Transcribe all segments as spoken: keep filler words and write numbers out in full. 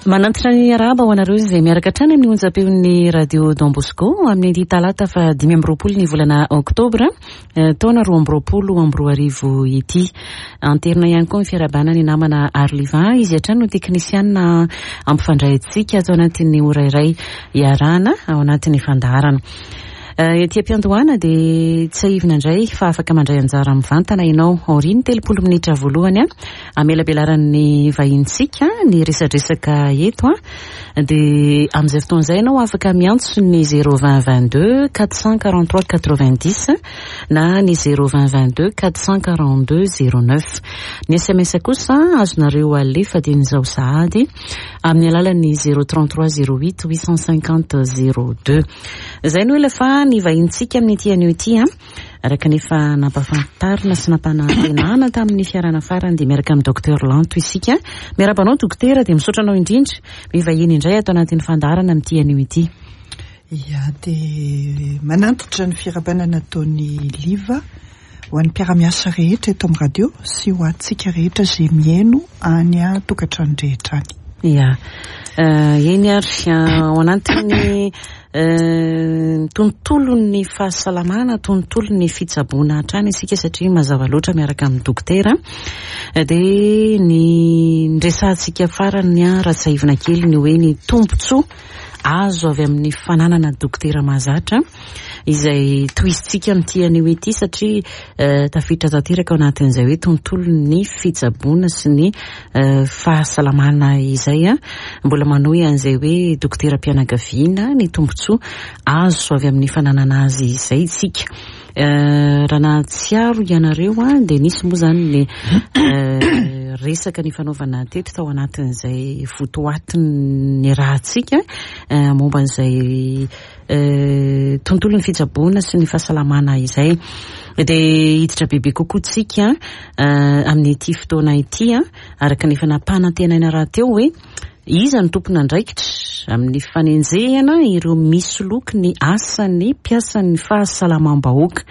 Manantitra ny arahaba ho anareo izay miaraka hatrany amin'ny onjam-peon'ny Radio Don Bosco amin'ny talata fa dimy amby roapolo ny volana oktobra taona roa amby roapolo amby roa arivo ity. Anterina ihany koa ny fiarahabana ny namana Arliva, izy hatrany no teknisianina ampifandray antsika ato anatin'ny ora iray iarahana ao anatin'ny fandaharana. Ety am-piandohana dia tsiahivina indray fa afaka mandray anjara mivantana ianao aorian'ny telopolo minitra voalohany a amelabelaran'ny vahintsika ny resadresaka eto a dia amin'izay fotoana izay ianao afaka miantso ny zéro vingt vingt-deux quatre cent quarante-trois quatre-vingt-dix na ny zéro vingt vingt-deux quatre cent quarante-deux zéro neuf. Ny S M S kosa azonareo alefa dian'izao sahady amin'ny alalan'ny zéro trente-trois zéro huit huit cent cinquante zéro deux. Izay no ela fa ny vahintsika amin'ity anio ity a araka ny efa nampahafantarina sy nampanantenana tamin'ny fiarahana farany dia miaraka amin'ny docteur Lanto isika. Miarahaba anao dokotera, dia misaotra anao indrindra mivahiny indray ato anatin'ny fandaharana amin'ity anio ity. Ia, dia manantitra ny fiarahabana nataon'ny Liva ho an'ny mpiara-miasa rehetra eto amin'ny radio sy ho antsika rehetra izay mihaino any an-tokantrano rehetra any. Ia, eny ary ao anatin'ny tontolon'ny fahasalamana, tontolon'ny fitsaboana hatrany isika satria mazava loatra miaraka amin'ny dokotera. Dia ny resahantsika farany raha tsiahivina kely ny hoe ny tombontsoa azo avy amin'ny fananana dokotera mahazatra izay tohizintsika amin'ity anio ity satria tafiditra tanteraka ao anatin'izay hoe tontolon'ny fitsaboana sy ny fahasalamana izay a mbola manohy an'izay hoe dokoteram-pianakaviana ny tombontsoa azo avy amin'ny fananana azy izay isika. Raha nahatsiaro ianareo a dia nisy moa zany ny resaka ny fanaovana teto tao anatin'izay votoatin'ny rahantsika momba an'izay tontolon'ny fitsaboana sy ny fahasalamana izay. Dia hiditra bebe kokoa tsika amin'ity fotoana ity a araka ny efa nampanantenaina rahateo hoe iza no tompon'andraikitra amin'ny fanenjehana ireo misoloky ny asan'ny mpiasan'ny fahasalamam-bahoaka.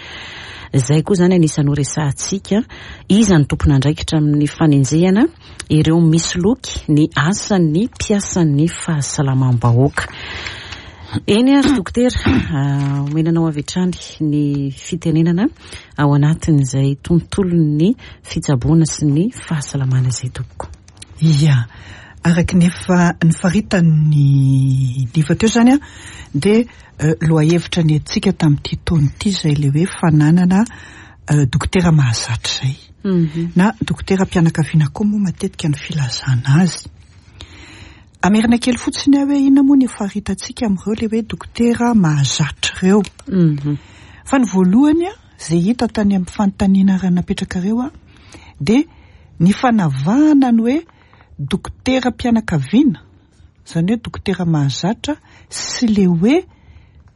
Izay koa zany anisan'ny ho resahantsika, iza no tompon'andraikitra amin'ny fanenjehana ireo misoloky ny asan'ny mpiasan'ny fahasalamam-bahoaka. Eny ary dokotera, omena anao avy hatrany ny fitenenana ao anatin'izay tontolon'ny fitsaboana sy ny fahasalamana izay tompoko. Ia, araka ny efa nifaritan'ny Liva teo zany a dia lohahevitra ny antsika tamin'ity taona ity izay ilay hoe fananana dokotera mahazatra izay. Na dokoteram-pianakaviana koa moa matetika ny filazana azy. Amerina kely fotsiny aho hoe inona moa ny faritantsika amin'ireo ilay hoe dokotera mahazatra ireo. Fa ny voalohany a izay hita tany amin'ny fanontaniana raha napetraka ireo a dia ny fanavahana ny hoe dokoteram-pianakaviana, izany hoe dokotera mahazatra, sy ilay hoe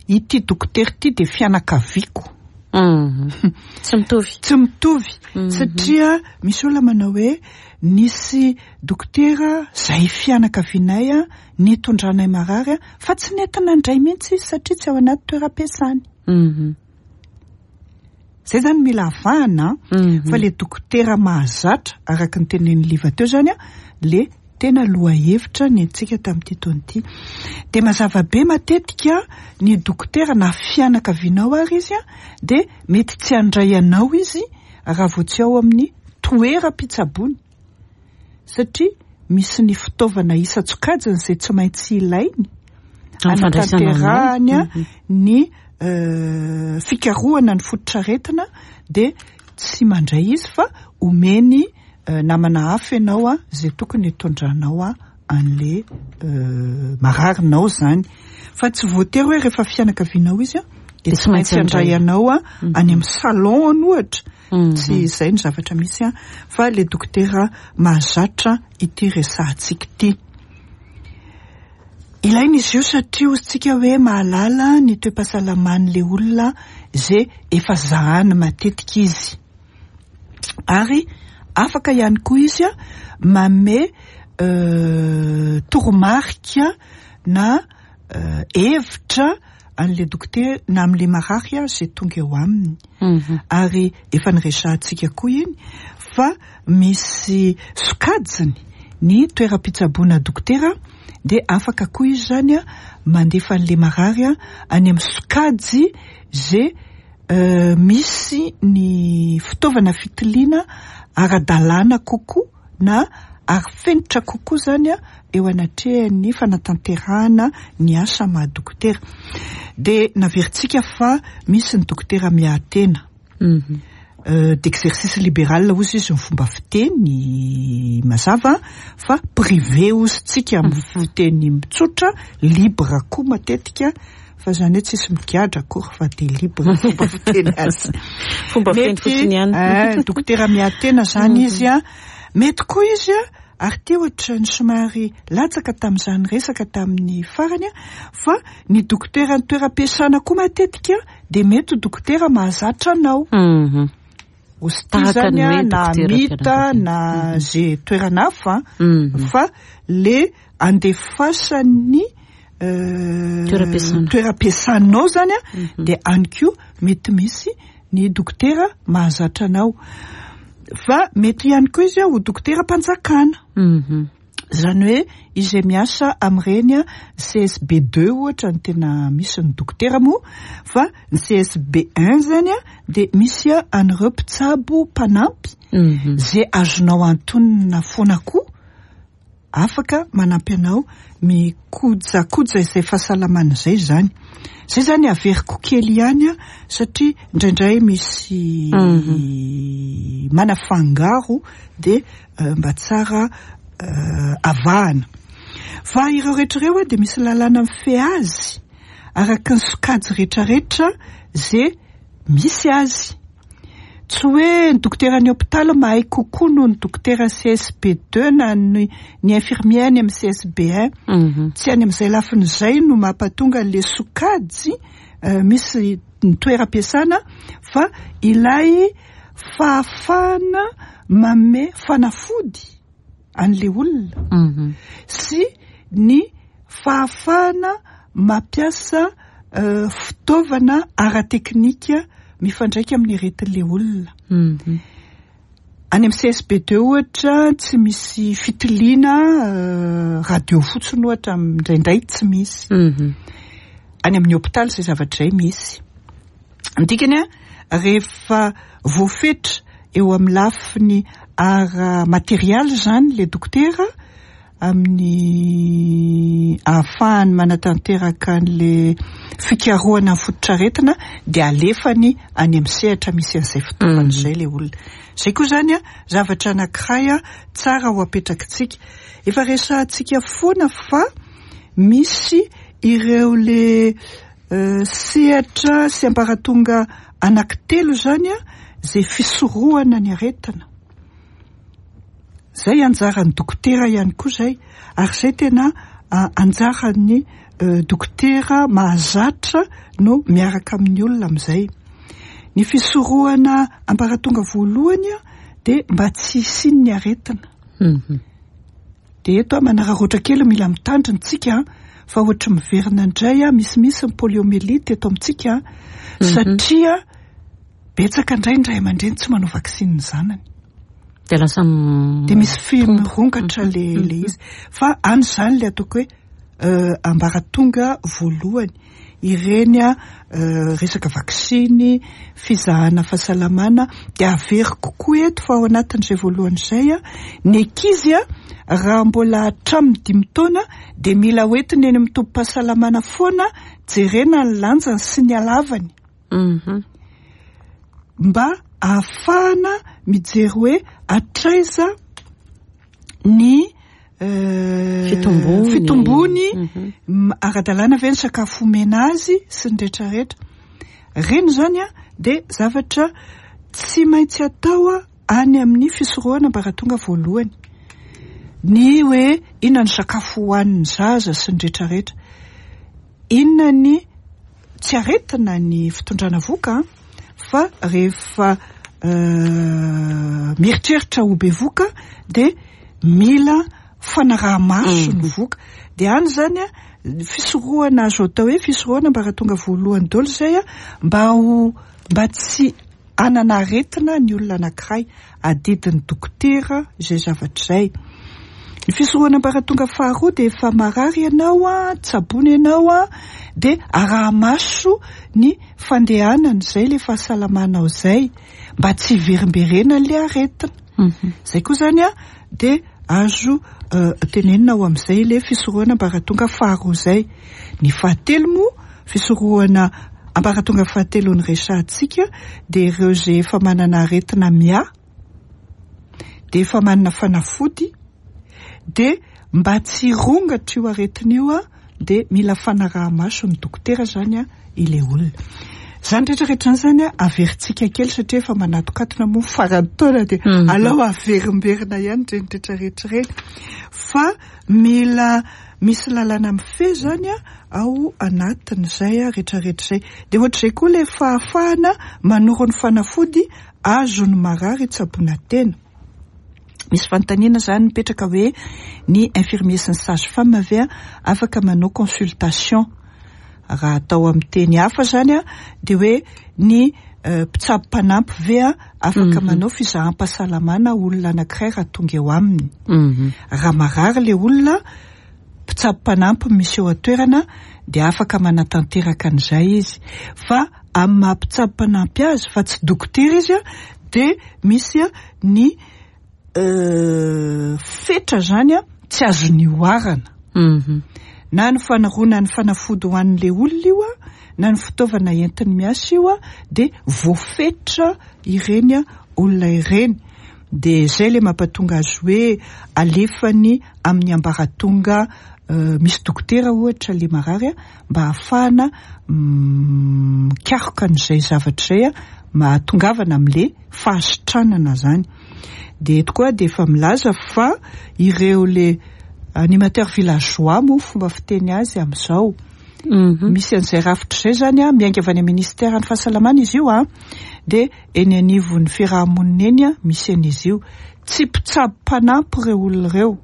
ity dokotera ity dia fianakaviako. Tsy mitovy. Tsy mitovy, satria misy olona manao hoe nisy dokotera izay fianakavianay a nitondranay marary a fa tsy nentina indray mihitsy izy satria tsy ao anaty toeram-piasany. Izay zany mila avahana fa le dokotera mahazatra araka ny tenenin'ny Liva teo zany a le tena lohahevitra ny antsika tamin'ity taona ity. Dia mazava be matetika ny dokotera na fianakavianao ary izy a dia mety tsy handray anao izy raha vao tsy ao amin'ny toeram-pitsaboana satria misy ny fitaovana isan-tsokajiny izay tsy maintsy ilainy anatanterahany ny fikarohana ny fototr'aretina dia tsy mandray izy fa omeny namana hafa ianao a izay tokony hitondranao a an'le mararinao zany. Fa tsy voatery hoe rehefa fianakavianao izy a dia tsy maintsy handray anao a any amin'ny salon ohatra. Tsy izay ny zavatra misy a fa le dokotera mahazatra ity resahantsika ity. Ilaina izy io satria hoy hoe mahalala ny toe-pahasalaman'ilay olona izay efa zahany matetika izy. Ary afaka ihany koa izy a manome toromarika na hevitra an'ilay dokotera na amin'ilay marary izay tonga eo aminy. Ary efa niresahantsika koa iny fa misy sokajiny Ny toeram-pitsaboana dokotera dia afaka koa izy zany a mandefa an'le marary a any amin'ny sokajy zay misy ny fitaovana fitiliana ara-dalàna kokoa na ary fenitra kokoa zany a eo anatrehan'ny fanatanterahana ny asa maha dokotera. Dia naverintsika fa misy ny dokotera miahy-tena, d'exercice libéral ozy izy ny fomba fiteny mazava, fa privé ozy tsika amin'ny fiteny mitsotra, libre koa matetika, fa zany hoe tsisy migadra akory fa de libre fomba fiteny azy. Fomba fiteny fotsiny ihany. Dokotera miahy-tena zany izy a, mety koa izy a, ary ty ohatra ny somary latsaka tamin'izany resaka tamin'ny farany a, fa ny dokotera ny toeram-piasana koa matetika de mety ho dokotera mahazatra anao. Ozy zany a, na mita na ze toerana hafa, fa le andefasany toeram-piasanao zany a, de any koa mety misy ny dokotera mahazatra anao. Fa mety ihany koa izy a ho dokotera mpanjakana, zany hoe izay miasa amin'ireny a C S B deux ohatra ny tena misy ny dokotera moa, fa ny C S B un zany a de misy a an'ireo mpitsabo mpanampy zay azonao antonona foana koa, afaka manampy anao mikojakoja izay fahasalamana izay zany. Zay zany averiko kely ihany a, satria indraindray misy manafangaro, de mba tsara avahana. Fa ireo rehetra ireo a de misy lalàna mifehy azy araka ny sokajy rehetrarehetra zay misy azy. Tsy hoe ny dokotera ny hôpitaly mahay kokoa noho ny dokotera C S B deux na ny ny infirmier any amin'ny C S B un. Tsy any amin'izay lafin'izay no mampatonga le sokajy misy ny toeram-piasana, fa ilay fahafahana manome fanafody an'le olona sy ny fahafahana mampiasa fitaovana ara-teknika mifandraika amin'ny aretin'le olona. Any amin'ny C S B deux ohatra tsy misy fitiliana, radio fotsiny ohatra indraindray tsy misy. Any amin'ny hôpitaly zay zavatra izay misy. Ny dikany a, rehefa voafetra eo amin'ny lafiny ara-materialy zany le dokotera amin'ny ahafahany manatanteraka an'le fikarohana ny fototr'aretina, de alefany any amin'ny sehatra misy an'izay fitaovana izay le olona. Zay koa zany a zavatra anankiray a tsara ho apetrakitsika. Efa resahantsika foana fa misy ireo le sehatra sy ambaratonga anankitelo zany a zay fisorohana ny aretina. Zay anjaran'ny dokotera ihany koa zay, ary zay tena anjaran'ny dokotera mahazatra no miaraka amin'ny olona amin'izay. Ny fisorohana ambaratonga voalohany a de mba tsy hisian'ny aretina. De eto a manararaotra kely, mila mitandrina tsika fa ohatra miverina indray a misimisy ny poliomyélite eto amintsika, satria betsaka indray ny ray aman-dreny tsy manao vaksiny ny zanany. De lasa de misy fimirongatra le le izy. Fa any zany le ataoko hoe ambaratonga voalohany ireny a, resaka vaksiny, fizahana fahasalamana. De averiko koa eto fa ao anatin'izay voalohany izay a, ny ankizy a raha mbola hatramin'ny dimy taona de mila hoentina eny amin'ny tobim-pahasalamana foana, jerena ny lanjany sy ny halavany mba ahafahana mijery hoe hatraiza ny fitombony, fitombony, ara-dalàna ve ny sakafo omena azy sy ny rehetrarehetra reny zany a. De zavatra tsy maintsy atao a any amin'ny fisorohana ambaratonga voalohany ny hoe inona ny sakafo hohanin'ny zaza sy ny rehetrarehetra, inona ny tsy aretina ny fitondrana voka, fa rehefa mieritreritra ho bevoka de mila fanaraha-maso ny voka. De any zany a fisorohana azo atao hoe fisorohana ambaratonga voalohany daholo zay a, mba ho mba tsy hanana aretina ny olona anankiray. Adidin'ny dokotera izay zavatra izay. Ny fisorohana ambaratonga faharoa dia efa marary ianao a, tsaboina ianao a, dia araha-maso ny fandehanana izay le fahasalamanao izay mba tsy hiverimberena le aretina. Zay koa zany a dia azo tenenina ao amin'izay le fisorohana ambaratonga faharoa zay. Ny fahatelo moa, fisorohana ambaratonga fahatelo ny resahantsika, dia ireo izay efa manana aretina miahy, dia efa manana fanafody, dia mba tsy hirongatra io aretina io a, dia mila fanaraha-maso ny dokotera zany a ilay olona. Zany rehetrarehetra zany zany a averintsika kely satria efa manatokatona moa faran'ny taona, dia alao averimberina ihany ireny rehetrarehetra ireny. Fa mila misy lalàna mifehy zany a ao anatin'izay a rehetrarehetra izay. Dia ohatr'izay koa ilay fahafahana manoro ny fanafody azon'ny marary hitsaboana tena. Misy fanontaniana zany mipetraka hoe ny infirmier sy ny sage femme ve afaka manao consultation? Raha atao amin'ny teny hafa zany a dia hoe ny mpitsabo mpanampy ve afaka manao fizaham-pahasalamana olona anankiray raha tonga eo aminy? Raha marary le olona, mpitsabo mpanampy misy eo an-toerana dia afaka manatanteraka an'izay izy. Fa amin'ny maha mpitsabo mpanampy azy fa tsy dokotera izy a, dia misy a ny fetra zany a tsy azony oharana. Na ny fanoroana ny fanafody ho an'ilay olona io a, na ny fitaovana entiny miasa io a, dia voafetra ireny olona ireny. Dia izay ilay mampatonga azy hoe alefany amin'ny ambaratonga misy dokotera ohatra ilay marary a, mba ahafahana mikaroka an'izay zavatra izay a, mahatongavana amin'ilay fahasitranana zany. Dia eto koa dia efa milaza fa ireo le animateur villageois moa fomba fiteny azy amin'izao. Misy an'izay rafitra izay zany a, miainga avy any amin'ny ministeran'ny fahasalamana izy io a, dia eny anivon'ny fiarahamonina eny a misy an'izy io. Tsy mpitsabo mpanampy ireo olona ireo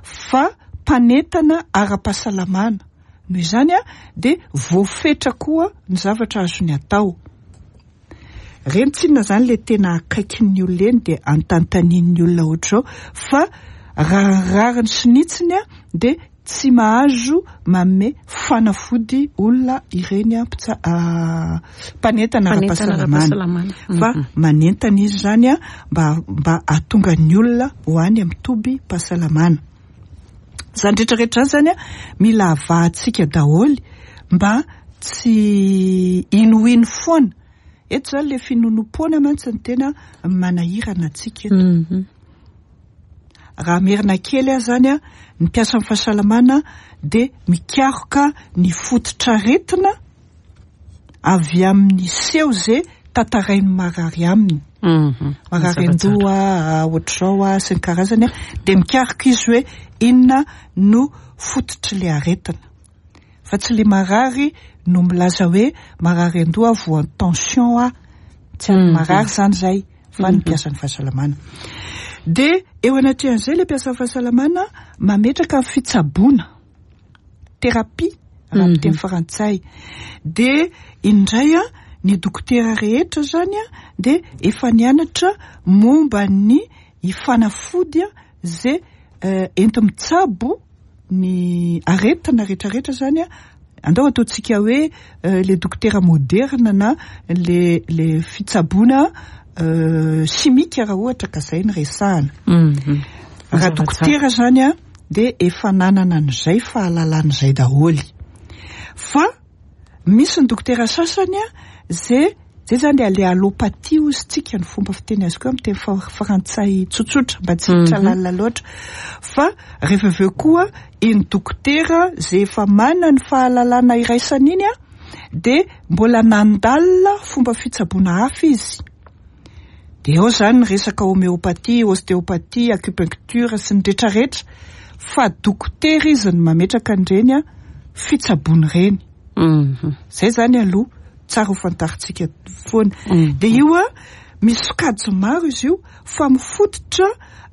fa mpanentana ara-pahasalamana. Noho izany a dia voafetra koa ny zavatra azony atao. Reny tsinona zany le tena akaikin'ny olona eny dia antantanin'ny olona ohatr'izao, fa raha rariny sy nitsiny a dia tsy mahazo manome fanafody olona ireny a mpitsa- mpanentana ara-pahasalamana, fa manentana izy zany a mba mba hahatonga ny olona ho any amin'ny toby-pahasalamana. Zany rehetrarehetra zany zany a mila avahantsika daholo mba tsy inoino foana. Eto zany le finoanoam-poana mantsy ny tena manahirana antsika eto. Raha merina kely aho zany a, ny mpiasan'ny fahasalamana dia mikaroka ny fototr'aretina avy amin'ny seho izay tantarain'ny marary aminy. Marary an-doha, ohatr'izao a, sy ny karazany a, dia mikaroka izy hoe inona no fototr'ilay aretina. Fa tsy le marary no milaza hoe marary an-doha voan'ny tension aho. Tsy any marary zany zay, fa ny mpiasan'ny fahasalamana. Dia eo anatrehan'izay le mpiasan'ny fahasalamana mametraka ny fitsaboana, thérapie raha amin'ny teny frantsay. Dia indray a ny dokotera rehetra zany a dia efa nianatra momba ny fanafody a zay enti-mitsabo ny aretina rehetrarehetra zany a. Andao ataontsika hoe le dokotera moderna na le le fitsaboana simika raha ohatra ka zay ny resahana. Raha dokotera zany a dia efa nanana an'izay fahalalana izay daholo. Fa misy ny dokotera sasany a zay zay zany le allopathie hozy tsika ny fomba fiteny azy koa amin'ny teny frantsay tsotsotra mba tsy hiditra lalina loatra. Fa rehefa avy eo koa iny dokotera zay efa manana ny fahalalana iraisana iny a dia mbola nandalina fomba fitsaboana hafa izy. Dia eo zany ny resaka homéopathie, ostéopathie, acupuncture sy ny rehetrarehetra. Fa dokotera izy no mametraka an'ireny a fitsaboana ireny. Zay zany aloha tsara ho fantarintsika foana. Dia io a misy sokajy maro izy io fa mifototra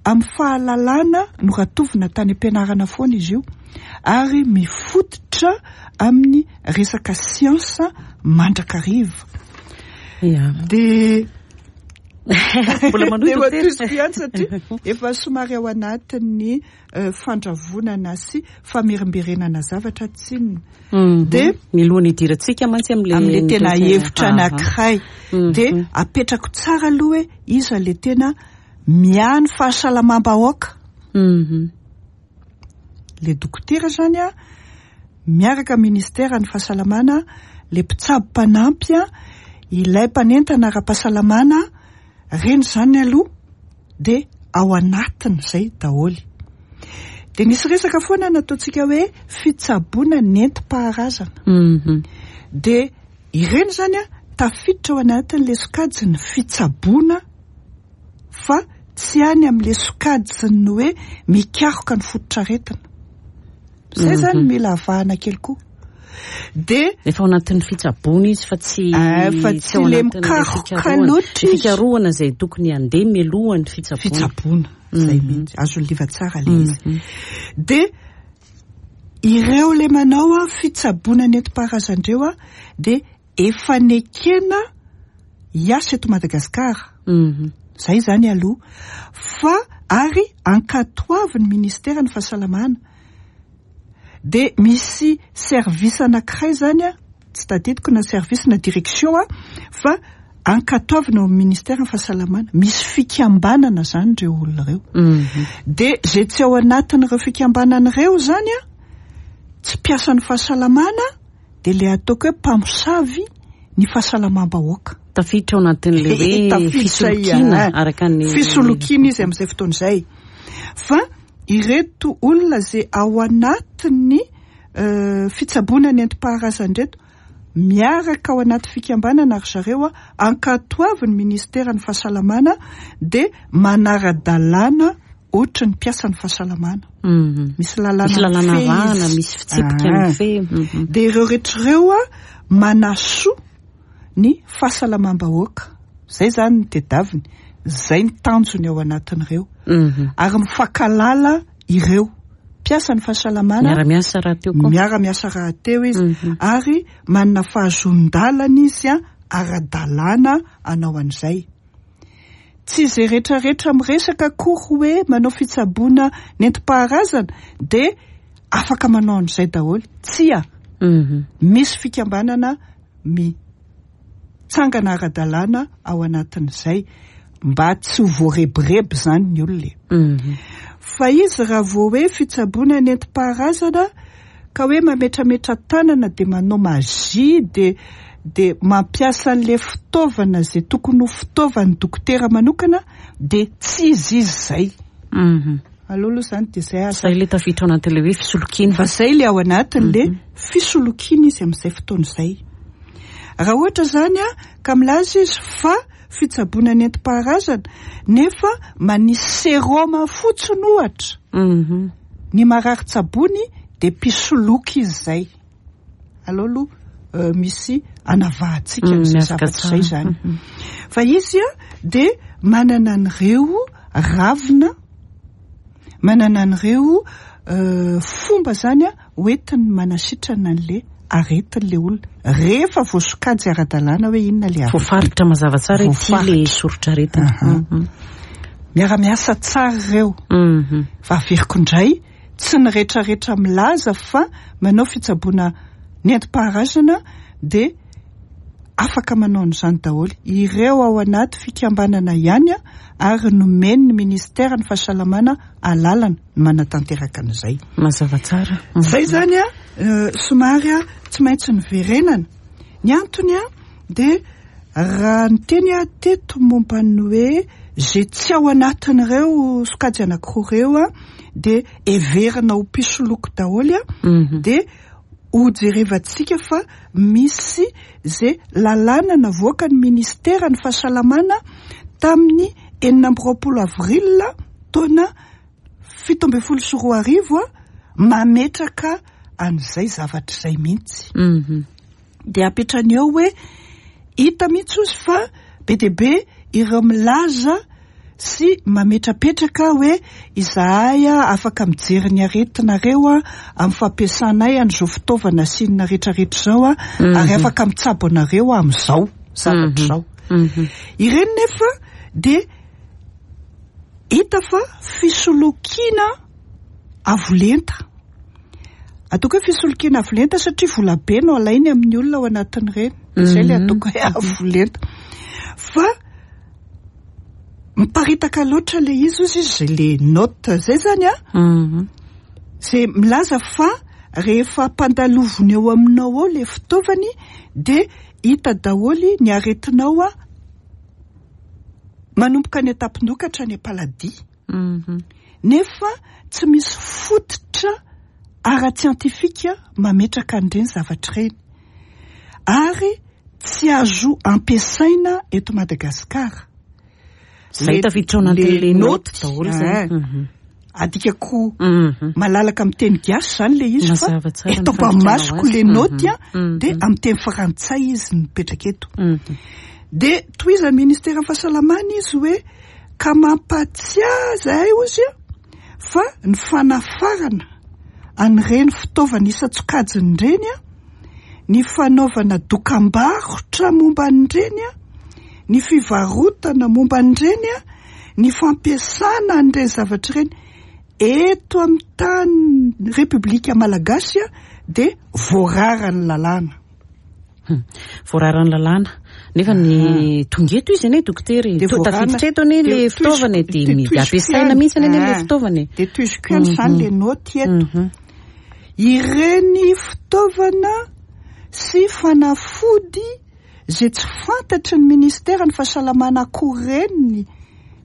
amin'ny fahalalana noratovina tany am-pianarana foana izy io, ary mifototra amin'ny resaka siansa mandrakariva. Dia Mbola manohy, De dokotera. matohiziko ihany satria efa somary ao anatin'ny euh, fandravonana sy famerimberenana zavatra tsinona. Mhm. De mialohan'ny hidirantsika mantsy am'le am'le tena hevitra Aha. anankiray, Mhm. de apetrako tsara aloha hoe iza le tena miahy ny fahasalamam-bahoaka. Mhm. Le dokotera zany a miaraka ministera ny fahasalamana, le mpitsabo mpanampy a ilay mpanentana ara-pahasalamana reny zany aloha, de ao anatiny zay daholy. De nisy resaka foana nataontsika hoe fitsaboana nentim-paharazana. Mhm. De ireny zany a tafiditra ao anatin'le sokajy ny fitsaboana, fa tsy any amin'le sokajiny hoe mikaroka ny fototr'aretina zay zany. Mhm. Mila avahana kely koa de Efa ao anatin'ny fitsaboana izy fa tsy Ah, fa tsy ao le anatin'ilay mikaroka fikarohana. loatra izy. Fikarohana zay tokony handeha mialohan'ny fitsaboana. Fitsaboana zay Mhm. mihitsy, azony liva tsara le izy. Mhm. De ireo le manao a fitsaboana nentim-paharazandreo a de efa nekena hiasa eto Madagasikara. Mhm. Zay zany aloha, fa ary ankatoavy ny ministera ny fahasalamana. De misy service anankiray zany a tsy tadidiko na service na direction a fa ankatoavina ao amin'ny ministera ny fahasalamana. Misy fikambanana zany reo olona reo. Mhm. De zay tsy ao anatin'ireo fikambanana ireo zany a tsy mpiasan'ny fahasalamana, de le ataoko hoe mpamosavy ny fahasalamam-bahoaka. Tafiditra ao anatin'le hoe Tafiditra fisolokiana ihany. araka ny Fisolokiana izy amin'izay fotoana izay. Fa ireto olona zay ao anatin'ny euh, fitsaboana nentim-paharazan-dreto miaraka ao anaty fikambanana ary zareo a ankatoavy ny ministera ny fahasalamana, de manara-dalàna ohatry ny mpiasa ny fahasalamana. Mhm. Misy lalàna Misy lalàna mifehy avahana, izy. misy fitsipika Ah. mifehy. Mhm. De ireo rehetra ireo a manasoa ny fahasalamam-bahoaka zay zany ny tedaviny, zay ny tanjony ao anatin'ireo. Mhm. Ary mifankalala ireo mpiasa ny fahasalamana. Miara-miasa raha teo koa. Miara-miasa raha teo izy. Mhm. Ary manana fahazoan-dalana izy a ara-dalàna anao an'izay. Tsy izay rehetrarehetra miresaka akory hoe manao fitsaboana nentim-paharazana de afaka manao an'izay daholo, tsia. Mhm. Misy fikambanana mitsangana ara-dalàna ao anatin'izay mba tsy ho voarebireby zany ny olona e. Mhm. Fa izy raha vao hoe fitsaboana nentim-paharazana ka hoe mametrametra tanana, de manao magie, de de mampiasa an'le fitaovana zay tokony ho fitaovan'ny dokotera manokana, de tsy izy izy zay Mhm. aloha aloha zany. De zay aza Zay le tafiditra ao anatin'le hoe fisolokiana. Fa zay le ao anatin'le fisolokiana izy amin'izay fotoana izay. Raha ohatra zany a ka milaza izy fa fitsaboana nentim-paharazana nefa manisy séroma fotsiny ohatra Mhm. ny marary tsabony, de mpisoloky izy zay aloha aloha. euh, misy anavahantsika Mm, an'izay miavaka zavatra zay tsara. zany. Mhm. Fa izy a de manana an'ireo ravina, manana an'ireo euh, fomba zany a hoentiny manasitrana an'le aretin'le olona rehefa voasokajy ara-dalàna hoe inona le aretina. Voafaritra mazava tsara ity le Voafaritra. soritr'aretina. Aha. Mhm. Miara-miasa tsara ireo. Mhm. Fa averiko indray, tsy ny rehetrarehetra milaza fa manao fitsaboana nentim-paharazana de afaka manao an'izany daholo. Ireo ao anaty fikambanana ihany a ary nomeny ny ministera ny fahasalamana alalana ny manatanteraka an'izay. Mazava tsara. Mhm. Zay zany a euh, somary a tsy maintsy niverenana ny antony a de raha nyteny a teto momba ny hoe zay tsy ao anatin'ireo sokajy anankiroa ireo a de everina ho mpisoloky daholo a Mhm. de hojerevantsika fa misy zay lalàna navoaka ny ministera ny fahasalamana tamin'ny enina amby roapolo avril taona fito ambin'ny folo sy roa arivo a mametraka an'izay zavatra izay mihitsy. Mhm. De apetrany eo hoe hita mihitsy ozy fa be dia be ireo milaza sy mametrapetraka hoe izahay a afaka mijery ny aretinareo a amin'ny fampiasanay an'izao fitaovana sinina rehetrarehetra izao a Mhm. ary afaka mitsabo anareo amin'izao zavatra izao Mhm. ireny. Nefa De hita fa fisolokiana avolenta, ataoko hoe fisolokiana avolenta satria vola be no alainy amin'ny olona ao anatin'ireny zay le ataoko hoe avolenta. Fa miparitaka loatra le izy ozy izy zay le note zay zany a, zay milaza fa rehefa ampandaloviny eo aminao ao le fitaovany, de hita daholy ny aretinao a, manomboka any an-tampon-doha ka hatrany am-paladia, nefa tsy misy fototra ara-tsiantifika mametraka an'ireny zavatra ireny, ary tsy azo ampiasaina eto Madagasikara. Zay tafiditra ao anatin'le note daholo zay. Adikako malalaka amin'ny teny gasy zany le izy, fa Mazava tsara ny eto ampamasoko le fandikana note a, Mhm. de amin'ny teny frantsay izy mipetraka eto. De tohizan'ny ministera fahasalamana izy hoe ka mampatsiahy zahay ozy a fa ny fanafarana an'ireny fitaovana isan-tsokajiny ireny a, ny fanaovana dokam-barotra momba an'ireny a, ny fivarotana momba an'ireny a, ny fampiasana an'ireny zavatra ireny eto amin'ny tany Repoblika Malagasy a, de voarara ny lalàna. Voararan'ny lalàna, nefa ny tonga eto izy anie, dokotera, De to voarana- tafiditra eto anie le de fitaovana, toiziko- de de mi- toiziko ampiasaina ihany. mihitsy anie le Ah. fitaovana. De toiziko ihany zany le note eto. Mhm. Ireny fitaovana sy fanafody zay tsy fantatry ny ministera ny fahasalamana akory reny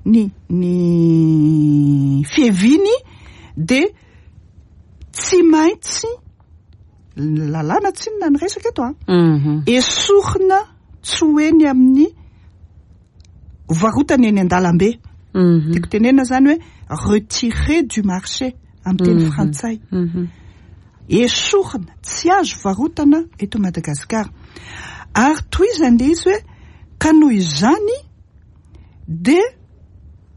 ny ny fieviny, de tsy maintsy lalàna tsinona ny resaka eto a, Mhm. esorina tsy ho eny amin'ny varotana eny an-dalambe. Mhm. Tiako tenena zany hoe retiré du marché amin'ny teny Mhm. frantsay. Mhm. Esorina, tsy azo varotana eto Madagasikara. Ary toizany le izy hoe ka noho izany de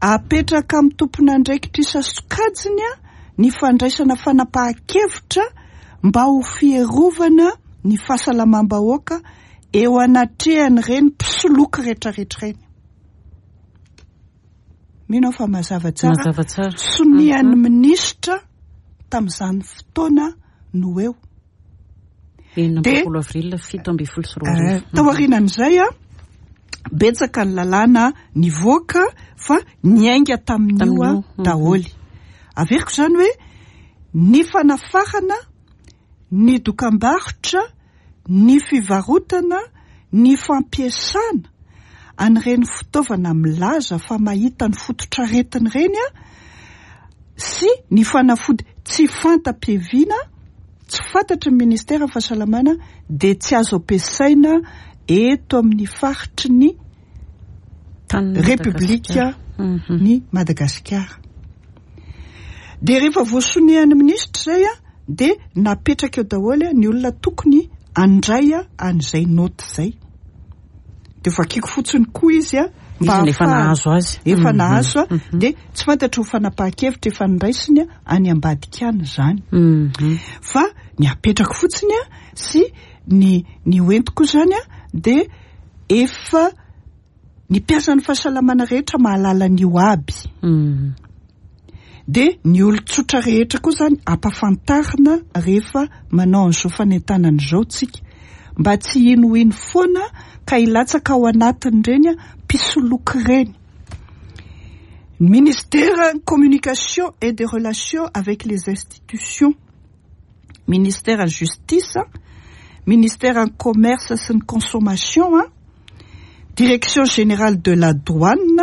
apetraka amin'ny tompon'andraikitra isan-sokajiny a ny fandraisana fanapahan-kevitra mba ho fierovana ny fahasalamam-bahoaka eo anatrehan'ireny mpisoloky rehetrarehetra ireny. Mino aho fa mazava tsara. Mazava tsara. Sonian'ny minisitra tamin'izany fotoana no eo. Enina amby De- roapolo avril fito amby folo sy roa Eh, arivo. Tao aorianan'izay a, betsaka ny lalàna nivoaka fa niainga tamin'io a Tamin'io, mhm. daholy. Averiko zany hoe ny fanafarana, ny dokam-barotra, ny fivarotana, ny fampiasana an'ireny fitaovana milaza fa mahita ny fototra aretina ireny a, sy ny fanafody tsy fanta-piaviana, tsy fantatry ny ministera fahasalamana, de tsy azo ampiasaina eto amin'ny faritry ny Tanin'i Repoblika Madagasikara. Mhm. ny Madagasikara. De rehefa voasonian'ny minisitra zay a, de napetraka eo daholo a ny olona tokony andray a an'izay note zay. De vakiko fotsiny koa izy a mba Izy efa ahafahana- nahazo azy. Efa Mhm. nahazo a, Mhm. de tsy fantatry ho fanapahan-kevitra efa noraisiny a any ambadika any zany. Mhm. Fa ny apetrako fotsiny a sy ny ny hoentiko zany a, de efa ny mpiasan'ny fahasalamana rehetra mahalala an'io aby, Mhm. de ny olon-tsotra rehetra koa zany ampafantarina rehefa manao an'izao fanentanana izao tsika, mba tsy hinohino foana ka hilatsaka ao anatin'ireny a mpisoloky ireny. Ministère communication et des relations avec les institutions, ministère justice, ministère commerce sy ny consommation a, direction générale de la douane,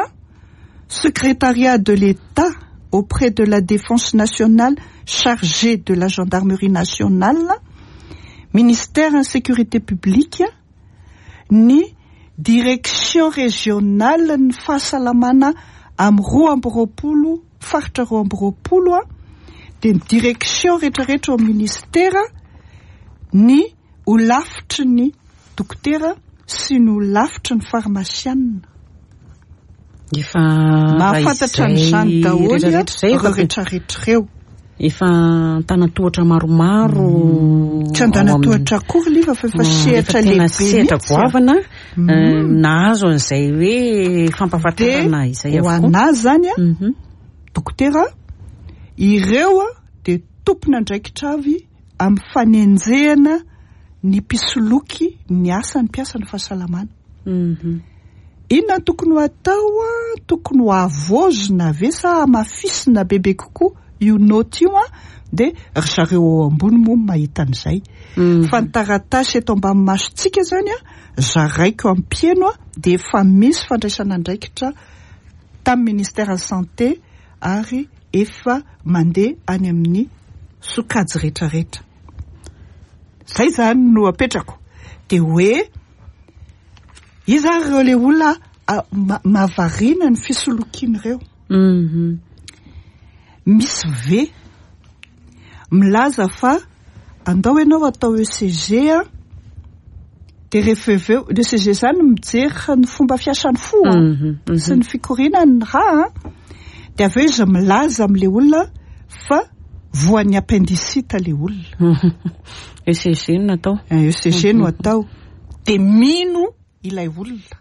secrétariat de l'État auprès de la défense nationale chargé de la gendarmerie nationale, ministère sécurité publique, ny direction régionale ny fahasalamana amin'ny roa amby roapolo faritra roa amby roapolo a, de ny direction rehetrarehetra ao amin'ny ministera, ny holafitry ny dokotera sy ny holafitry ny farmasianina. Efa Mahafantatra an'izany daholo a rehetrarehetra zay ireo rehetrarehetra ireo. Efa antanan-tohatra maromaro. Tsy antanan-tohatra akory liva fa efa sehatra lehibe, sehatra goavana nahazo an'izay hoe fampahafantarana izay avokoa. Ho anazy zany a, dokotera, ireo a dia tompon'andraikitra avy amin'ny fanenjehana ny mpisoloky ny asan'ny mpiasan'ny fahasalamana. Inona no tokony ho atao a? Tokony ho avozina ve sa hamafisina bebe kokoa io note io a? Dia ry zareo ao ambony moa mahita an'izay. Fa ny taratasy eto ambany masontsika zany a, zaraiko ampieno a, dia efa misy fandraisana andraikitra tamin'ny ministère santé ary efa mandeha any amin'ny sokajy rehetrarehetra. Zay zany no apetrako. Dia hoe iza ary ireo le olona mahavariana ny fisolokian'ireo? Misy ve milaza fa andao ianao atao E C G a, dia rehefa avy eo le E C G zany mijery ny fomba fiasan'ny fo a sy ny fikorianany ny rà a, dia avy eo izy milaza amin'le olona fa voan'ny appendicite le olona? E C G no natao. E C G no atao, dia mino ilay olona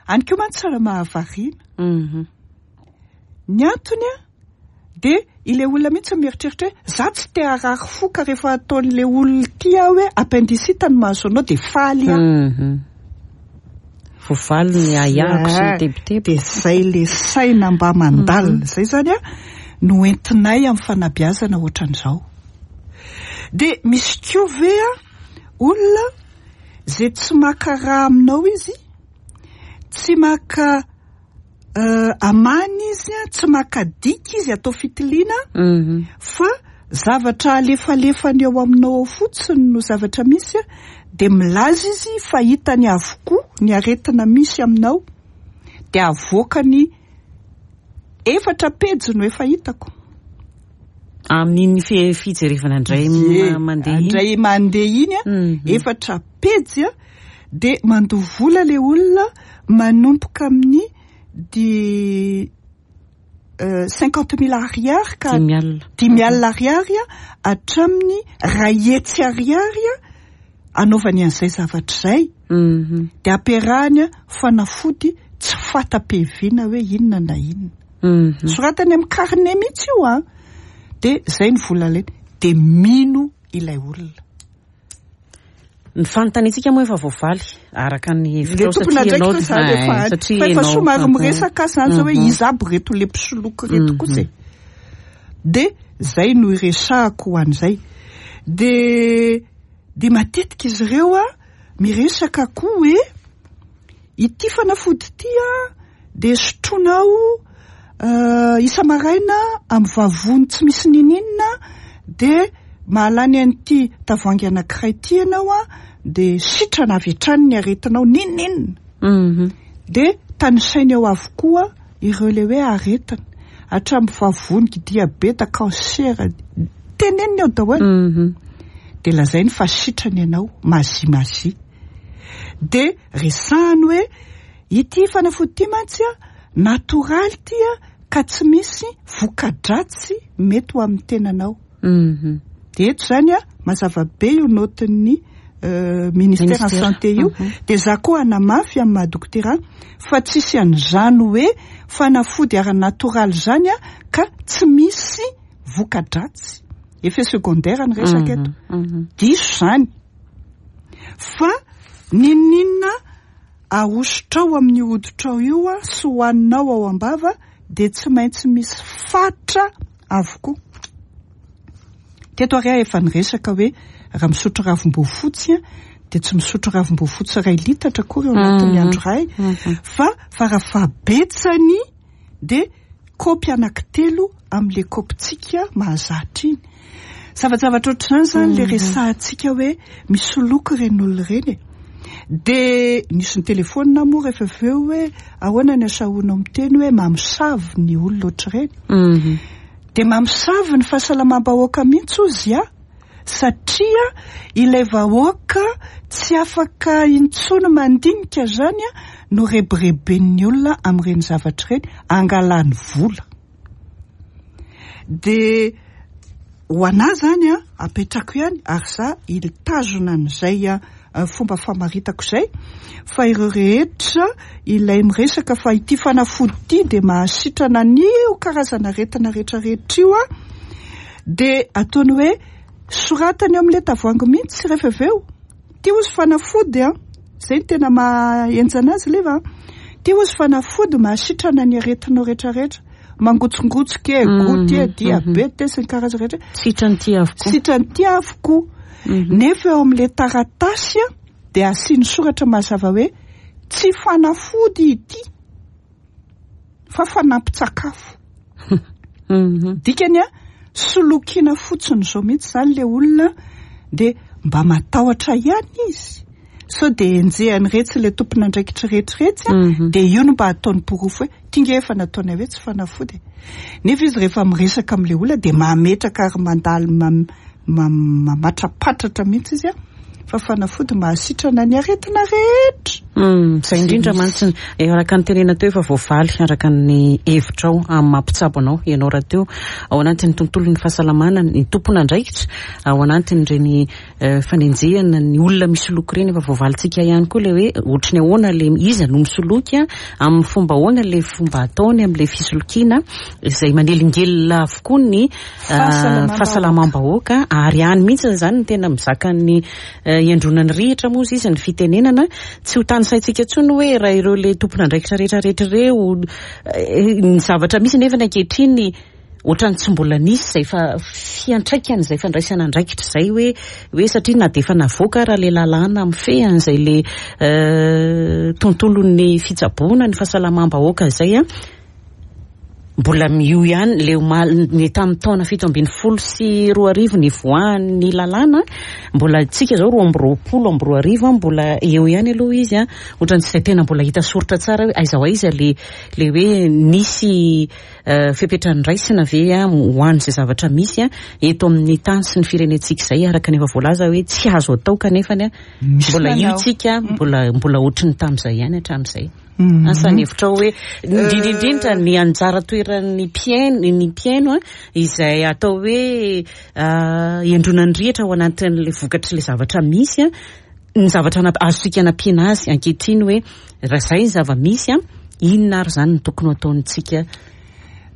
any koa mantsy tsara mahavariana. Ny antony a, dia ilay olona mihitsy mieritreritra hoe za tsy te harary fo, ka rehefa ataon'le olona ty aho hoe appendicite no mahazo anao, dia faly aho. Voavaly ny ahiahiko sy ny tebiteby. Dia zay le saina mba mandalina zay zany a no entinay amin'ny fanabeazana ohatran'izao. Dia misy koa ve a olona zay tsy maka raha aminao izy, tsy maka amany izy a, tsy maka diky izy atao fitiliana, fa zavatra alefalefany eo aminao ao fotsiny no zavatra misy a, dia milaza izy fa hitany avokoa ny aretina misy aminao, dia avoakany efatra pejy no efa hitako? Amin'iny fi- fijerevana indray mandeha iny. Indray mandeha iny a, efatra pejy a, dia mandoa vola le olona manomboka amin'ny di cinquante mille ariary ka dimy alina. Dimy alina ariary a hatramin'ny ray hetsy ariary a anaovany an'izay zavatra izay. Mhm. Dia ampiarahany a fanafody tsy fata-piaviana hoe inona na inona. Mhm. Soratany amin'ny carnet mihitsy io a, dia zay ny vola alainy, dia mino ilay olona. Ny fanontaniantsika moa efa voavaly araka ny Le hevitrao tompona satria ndraiky ianao to zany eh, efa satria fa efa ianao- somary Mhm. miresaka zany zao hoe Mhm. iza aby reto le mpisoloky reto Mhm. kosa e. De zay no iresahako ho an'izay. De de matetika izy ireo a miresaka koa hoe ity fanafody ity a de sotronao uh, isa-maraina amin'ny vavony tsy misy nininona, de mahalany an'ity tavoahangy anankiray ity ianao a, de sitrana avy hatrany ny aretinao nininona. Mhm. De tanisainy eo avokoa ireo le hoe aretina, hatramin'ny vavony, diabeta, cancer, teneniny eo daholo. Mhm. De lazainy fa sitrany ianao, mazi mazi. De resahany hoe ity fanafody ity mantsy a natoraly ty a, ka tsy misy voka-dratsy mety ho amin'ny tenanao. Mhm. De eto zany a mazava be io note-n'ny euh, ministère en Ministère. santé io. Mhm. De za koa anamafy amin'ny maha dokotera fa tsisy an'izany hoe fanafody ara-natoraly zany a ka tsy misy voka-dratsy, effet secondaire ny resaka eto. Mhm. Diso zany, fa nininona ahosotrao amin'ny hoditrao io a sy hohaninao ao am-bava, de tsy maintsy misy fatra avokoa. Teto ary aho efa niresaka hoe raha misotro ravim-boafotsy a, de tsy misotro ravim-boafotsy ray litatra akory eo anatin'ny Mhm. andro ray, Mhm. fa farafahabetsany de kaopy anankitelo amin'le kaopitsika mahazatra iny. Zavajavatra ohatr'izany zany le resahantsika hoe misoloky ireny olona ireny e. De nisy ny telefônina moa rehefa avy eo hoe ahoana ny asahoanao miteny hoe mamosavy ny olona ohatr'ireny? Mhm. De mamosavy ny fahasalamam-bahoaka mihitsy ozy a, satria ilay vahoaka tsy afaka intsony mandinika zany a no rebireben'ny olona amin'ireny zavatra ireny angalany vola. De Ho anahy zany a, apetrako ihany ary za ilitazona an'izay a fomba famaritako izay, fa ireo rehetra ilay miresaka fa ity fanafody ity dia mahasitrana an'io karazana aretina rehetrarehetra io a, dia ataony hoe soratany eo amin'ilay tavoahangy mihitsy rehefa avy eo. Ty ozy fanafody a, zay ny tena mahenjana azy leva, ty ozy fanafody mahasitrana ny aretinao rehetrarehetra, mangotsongotsoka e, goty e, diabeta sy ny karazana rehetra, sitrany ty avokoa, sitrany ty avokoa. Nefa eo amin'ilay taratasy a dia asiany soratra mazava hoe tsy fanafody ity fa fanampin-tsakafo. Dikany a, solokina fotsiny zao mihitsy zany le olona, dia mba matahotra ihany izy sao dia enjehany retsy le tompon'andraikitra rehetrarehetra, dia io no mba ataony porofo hoe ty nge efa nataonay hoe tsy fanafody. Nefa izy rehefa miresaka amin'ilay olona dia mametraka ary mandalo mamatrapatratra mihitsy izy a fa fanafody mahasitrana ny aretina rehetra. Izay indrindra mantsy araka ny tenena teo efa voavaly araka ny hevitrao amin'ny mampitsabo anao ianao rahateo ao anatin'ny tontolon'ny fahasalamana, ny tompon'andraikitra ao anatin'ireny fanenjehana ny olona misoloky ireny efa voavalintsika ihany koa ilay hoe ohatry ny ahoana ilay iza no misoloky, amin'ny fomba ahoana ilay fomba ataony amin'ilay fisolokiana izay manelingelina avokoa ny fahasalamam-bahoaka. Ary any mihitsy izany ny tena mizaka ny iandronan'ny rihitra moa izy ny fitenenana, tsy ho tanisaintsika intsony hoe raha ireo le tompon'andraikitra rehetrarehetra ireo ny zavatra misy nefa ny ankehitriny ohatrany tsy mbola nisy izay fa fiantraikany izay fandraisana andraikitra izay hoe hoe satria na dia efa navoaka raha le lalàna mifehy an'izay le tontolon'ny fitsaboana ny fahasalamam-bahoaka izay a, mbola io ihany le omaly ny tamin'ny taona fito ambin'ny folo sy roa arivo nivoahan'ny lalàna, mbola tsika zao roa amby roapolo amby roa arivo mbola eo ihany aloha izy a, ohatrany tsy tena mbola hita soritra tsara hoe aiza ho aiza le le hoe nisy fepetra noraisina ve a ho an'izay zavatra misy a eto amin'ny tany sy ny firenentsika izay, araka ny efa voalaza hoe tsy azo atao kanefany a mbola io tsika mbola mbola ohatry ny tamin'izay ihany hatramin'izay. Asa ny hevitrao hoe indrindrindrindra ny anjara toeran'ny mpihaino, ny mpihaino a izay atao hoe iandronan'ny rihitra ao anatin'ilay vokatr'ilay zavatra misy a, ny zavatra azontsika anampiana azy ankehitriny hoe raha izay ny zava-misy a, inona ary izany no tokony ho ataontsika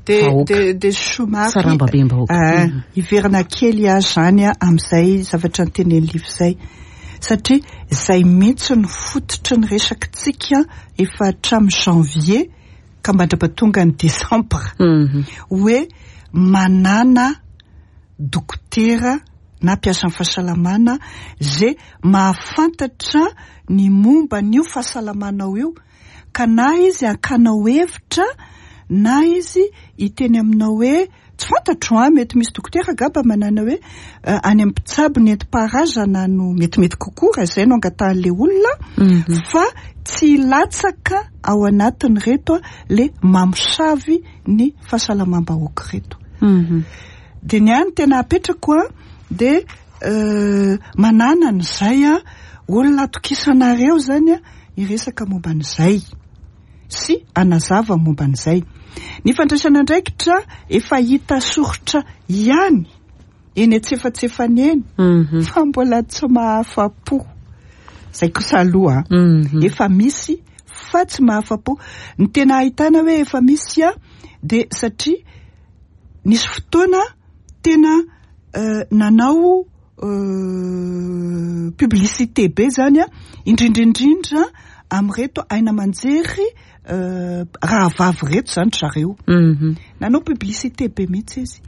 vahoaka, de somary sarambabem-bahoaka? Hiverina kely aho zany a amin'izay zavatra notenen'ny Liva izay, satria izay mihitsy ny fototry ny resakitsika efa hatramin'ny janvier ka mandra-pahatonga ny décembre, hoe manana dokotera na mpiasan'ny fahasalamana izay mahafantatra ny momba an'io fahasalamanao io, ka na izy hakanao hevitra na izy hiteny aminao hoe tsy fantatro a, mety misy dokotera gaba manana hoe any amin'ny mpitsabo nentim-paharazana no metimety kokoa raha izay no angatahan'ilay olona, fa tsy latsaka ao anatin'ireto le mamosavy ny fahasalamam-bahoaka ireto. Dia ny ahy tena apetrako a dia manana an'izay a olona atokisanareo zany a hiresaka momba an'izay sy anazava momba an'izay. Ny fandraisana andraikitra efa hita soritra ihany eny antsefatsefany eny, fa mbola tsy mahafa-po. Izay kosa aloha efa misy fa tsy mahafa-po. Ny tena ahitana hoe efa misy a dia satria nisy fotoana tena nanao publicité be zany a, indrindrindrindra amin'ireto aina aman-jery rahavavy reto zany zareo. Nanao publicité be mihitsy izy,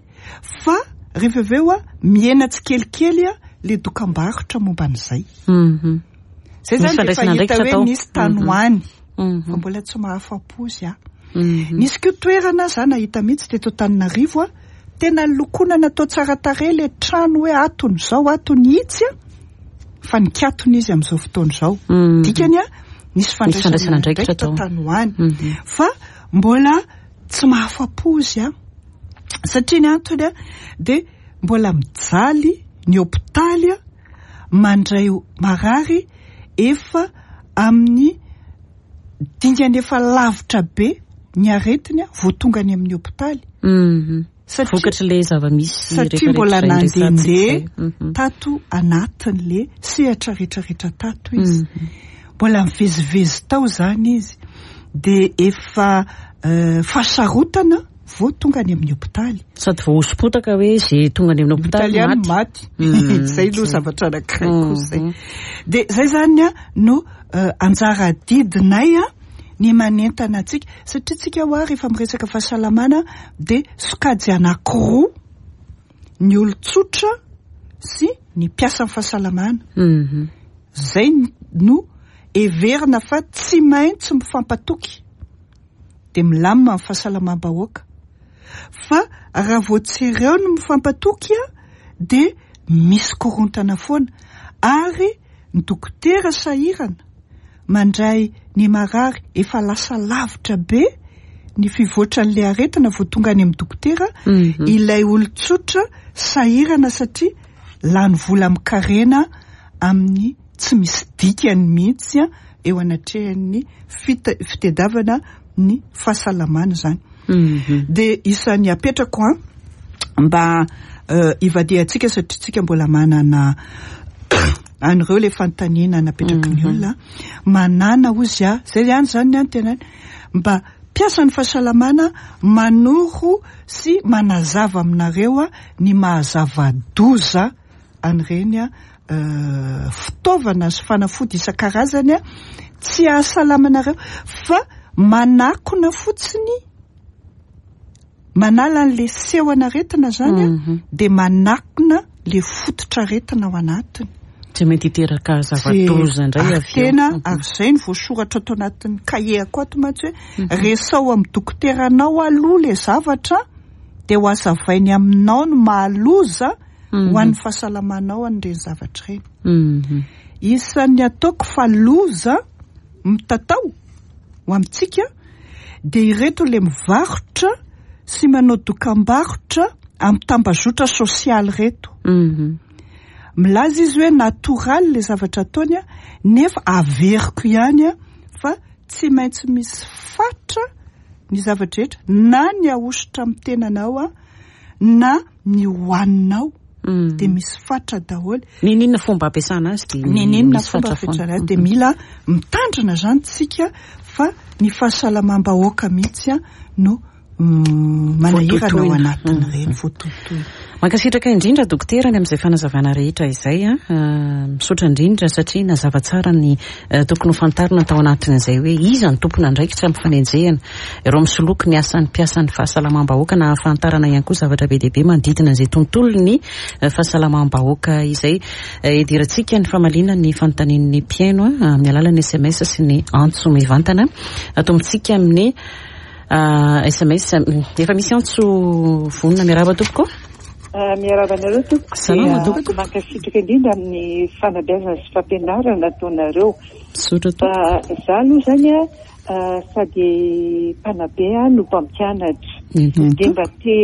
fa rehefa avy eo a mihena tsikelikely a le dokam-barotra momba an'izay. Zay zany efa hita hoe nisy tany ho any, fa mbola tsy mahafa-po izy a. Nisy koa toerana za nahita mihitsy teto Antananarivo a, tena lokona natao tsara tarehy le trano hoe atony zao atony itsy a, fa nikatona izy amin'izao fotoana izao. Dikany a nisy fandraisana andraikitra tany ho any, fa mbola tsy mahafa-po izy a, satria ny antony a dia mbola mijaly ny hopitaly a mandray marary efa amin'ny dingana efa lavitra be ny aretiny a vao tonga any amin'ny hopitaly. Satria Vokatry le zava-misy satria mbola rehetrarehetra izay nandehandeha resahantsika izay. Mhm. tato anatin'le sehatra rehetrarehetra tato izy, Mhm. mbola mivezivezy tao zany izy, de efa euh, fahasarotana vao tonga any amin'ny hopitaly. Sady voahosopotaka hoe zay tonga any amin'ny hopitaly hopitaly maty. Maty. Mhm. Zay aloha zavatra anankiray koa zay. Mhm. De zay zany a no euh, anjara didinay a ny manentana antsika, satria tsika hoa rehefa miresaka fahasalamana de sokajy anankiroa: ny olon-tsotra sy ny mpiasan'ny fahasalamana. Mhm. Zay no everina fa tsy maintsy mifampatoky de milamina ny fahasalamam-bahoaka, fa raha vao tsy ireo no mifampatoky a de misy korontana foana, ary ny dokotera sahirana mandray ny marary efa lasa lavitra be ny fivoatran'le aretina vao tonga any amin'ny dokotera, Mhm. ilay olon-tsotra sahirana satria lany vola mikarena amin'ny tsy misy dikany mihitsy a eo anatrehan'ny fita- fitadiavana ny fahasalamana zany. Mhm. De isan'ny apetrako a mba uh, ivadiantsika, satria tsika mbola manana an'ireo le fanontaniana napetraky ny Mhm. olona manana ozy a zay ihany zany ny tena mba mpiasan'ny fahasalamana manoro sy manazava aminareo a ny mahazava-doza an'ireny a euh, fitaovana sy fanafody isan-karazany a tsy ahasalamanareo fa manakona fotsiny, manala an'le seho anaretina zany a Mhm. de manakona le fototra aretina ao anatiny. Tsy mety hiteraka zava-doza indray Ary avy eo. tena Mhm. ary zay ny voasoratra ato anatin'ny kahie-ko ato mantsy hoe resao amin'ny dokoteranao aloha le zavatra, de ho azavainy aminao ny mahaloza Mhm. ho an'ny fahasalamanao an'ireny zavatra ireny. Mhm. Isan'ny ataoko fa loza mitatao ho amintsika de ireto le mivarotra sy manao dokam-barotra amin'ny tambazotra sosialy reto. Mhm. Milaza izy hoe natoraly le zavatra ataony a nefa averiko ihany a fa tsy maintsy misy fatra ny zavatra rehetra, na ny ahosotra amin'ny tenanao a na ny hohaninao, Mhm. de misy fatra daholo. Nininona fomba ampiasana azy de Nininona misy fomba fatra foana. ampiasana azy de mila mitandrina zany tsika, fa ny fahasalamam-bahoaka mihitsy a no mm, manahirana ao Voatotoina. anatin'ireny voatotoina. Mankasitraka indrindra, dokotera, ny amin'izay fanazavana rehetra izay a Ah, misaotra indrindra satria nazava tsara ny eh, tokony ho fantarina tao anatin'izay hoe iza ny tompona andraikitra amin'ny fanenjehana ireo misoloky ny asan'ny mpiasan'ny fahasalamam-bahoaka, na ahafantarana ihany koa zavatra be dia be manodidina izay tontolo ny eh, fahasalamam-bahoaka izay. Eh, idirantsika ny famaliana ny fanontanian'ny mpihaino a amin'ny alalan'ny S M S sy ny antso mivantana. Atombontsika amin'ny ah, S M S. Efa misy antso vonona. Miarahaba tompoko. Ah, miarahaba anareo tompoko. Salama, Dia, tompoko. Mankasitraka indrindra amin'ny fanabeazana sy fampianarana ataonareo. Misaotra tompoko. Fa za aloha zany a ah, sady mpanabe a no mpampianatra. Mhm. Dia mba te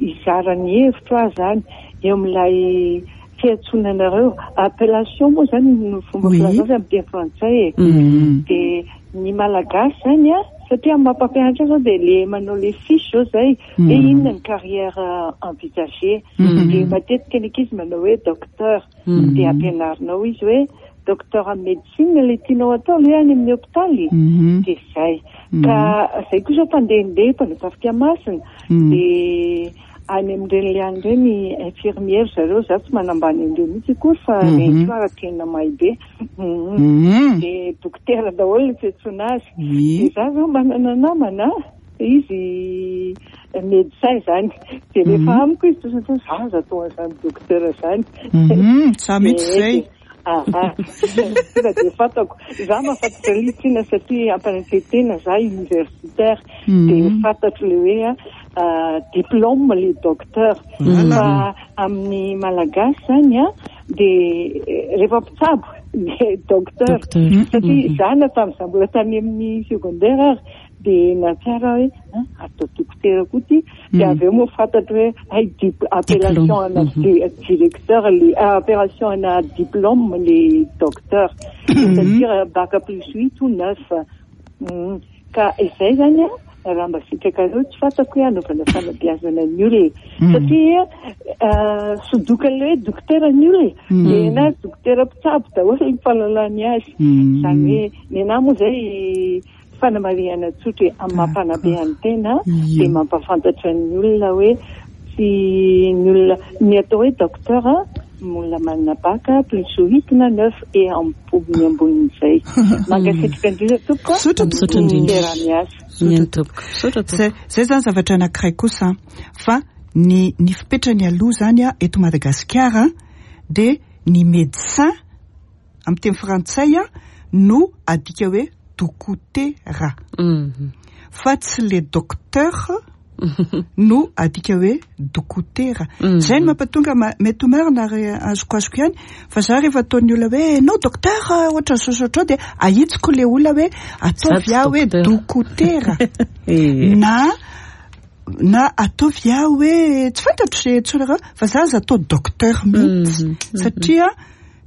hizara ny hevitro aho zany eo amin'ilay fiantsoana anareo, appellation moa zany no fomba Oui. filaza azy amin'ny teny frantsay e. Mhm. Dia ny malagasy zany a satria amin'ny mampampianatra zao dia le manao le fiche zao zay hoe Mm. inona ny carrière euh, envisagée, Mm. dia matetika ny ankizy manao hoe docteur, Mm. dia ampianarinao izy hoe docteur en médecine le tianao atao le any amin'ny hôpitaly, Mhm. dia zay Mm. ka zay koa zao mpandehandeha mpanao tafika masina, Mm. dia any amin'ireny le any ireny infirmière zareo, za tsy manambany an'ireo mihitsy akory fa Mhm. reny koa ara tena mahay be. Mhm. Mhm. Dia dokotera daholo ny fiantsoana azy. Oui. Dia za zao manana namana izy médecin zany, dia rehefa Mhm. amiko izy tosy za za atao an'izany docteur zany. Mhm. Sa mihitsy zay. Aha, tonga dia fantako za mahafantatra litsina satria ampanantetena za universitaire, Mhm. dia fantatro le hoe a ah, diplôme le docteur. Voilà. Fa amin'ny malagasy zany a dia eh, rehefa mpitsabo dia docteur, Docteur. satria Mhm. za na tamin'iza mbola tany amin'ny secondaire ary dia natsiara hoe "Ah, atao dokotera koa ty", dia Mm. avy eo moa fantatro hoe ay dip- appellation ana Mhm. di- directeur le ah, appellation ana diplôme le docteur, c'est-à-dire bac plus huit ou neuf. Mm. Ka izay zany a Raha mba sitrakareo, tsy fantako hoe anaovana fanabeazana ny olona, satria sodokan'le hoe dokotera ny olona, de na dokotera mpitsabo daholo ny fahalalany azy. Zany hoe ny anahy moa zay fanamarihana tsotra amin'ny mampanabe ny tena, de mampafantatra ny olona hoe tsy ny olona ny atao hoe docteur, olona manana bac plus huit na neuf et ambony ambonin'izay. Mankasitraka indrindra tompoko. Misaotra indrindra. Miasa. Miany tompoko, misaotra tompoko. Zay zay zany zavatra anankiray kosa, fa ny ny fipetrany aloha zany a eto Madagasikara de ny médecin amin'ny teny frantsay a no adika hoe dokotera, Mhm. fa tsy le docteur no adika hoe dokotera. Mhm. Zay no mampatonga ma- mety ho marina ary azoko azoko ihany, fa za rehefa ataon'ny olona hoe nao docteur ohatra ny sosotra ao, de ahitsiko le olona hoe ataovy aho hoe docteur. Dokotera Eh. na na ataovy aho hoe tsy fantatro zay antsoinareo, fa za aza atao docteur mihitsy, Mhm, mhm. satria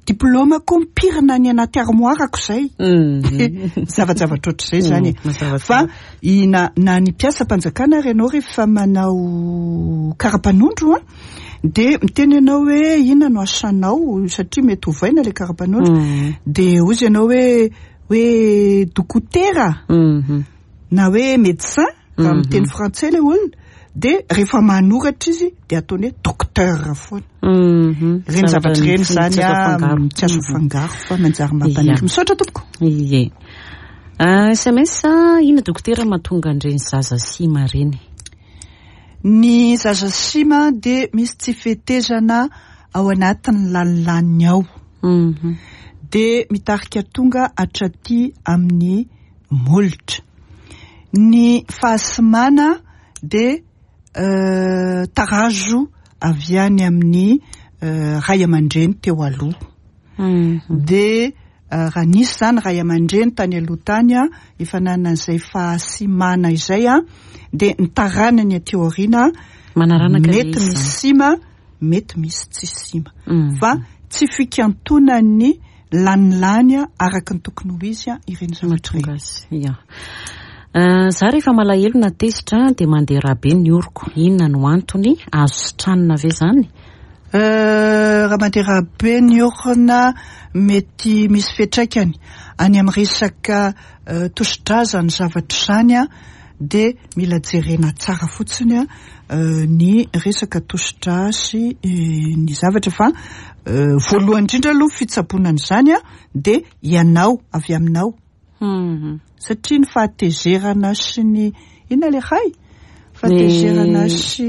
diplômako mipirina any anaty armoirako zay. Mhm. Zavajavatra ohatr'izay zany. Mm, mazava Fa tsara. i na na ny mpiasam-panjakana ary ianao rehefa manao karapanondro a de miteny ianao hoe inona no asanao, satria mety hovaina le karapanondro, Mm. de ozy ianao hoe hoe dokotera Mhm. na hoe médecin raha Mhm. miteny frantsay le olona, de rehefa manoratra izy de ataony hoe docteur foana. Mhm. Reny zavatra reny Tsy zany azo a afangaro. tsy azo Mhm. afangaro fa manjary mampaniry. Ia. Misaotra tompoko. Ie. Ah, S M S, inona dokotera mahatonga an'ireny zaza sima reny? Ny zaza sima de misy tsy fetezana ao anatin'ny lalilaniny ao, Mhm. de mitarika tonga hatraty amin'ny molotra. Ny fahasimana de euh, tarazo avy any amin'ny euh, ray aman-dreny teo aloha. Mhm. De euh, raha nisy zany ray aman-dreny tany aloha tany a efa nanan'izay fahasimana izay a de ny taranany aty aoriana Manaranaka mety le izy misy zany. sima, mety misy tsy sima, Mhm. fa tsy fikantonany lanilany a araka ny tokony ho izy a ireny zavatra Mahatonga ireny. azy. Ia. Ah, za rehefa malahelo na tezitra de mandeha rà be ny oroko. Inona no antony? Azo sitranina ve zany? Euh, raha mandeha rà be ny orona, mety misy fiantraikany any amin'ny resaka euh, tosi-drazany zavatra zany a de mila jerena tsara fotsiny a euh, ny resaka tosi-drà sy eh, ny zavatra, fa euh, voalohany indrindra aloha fitsaboana an'izany a de ianao avy aminao, Mhm. satria ny fahatezerana sy ny inona le hay fahatezerana Ny- sy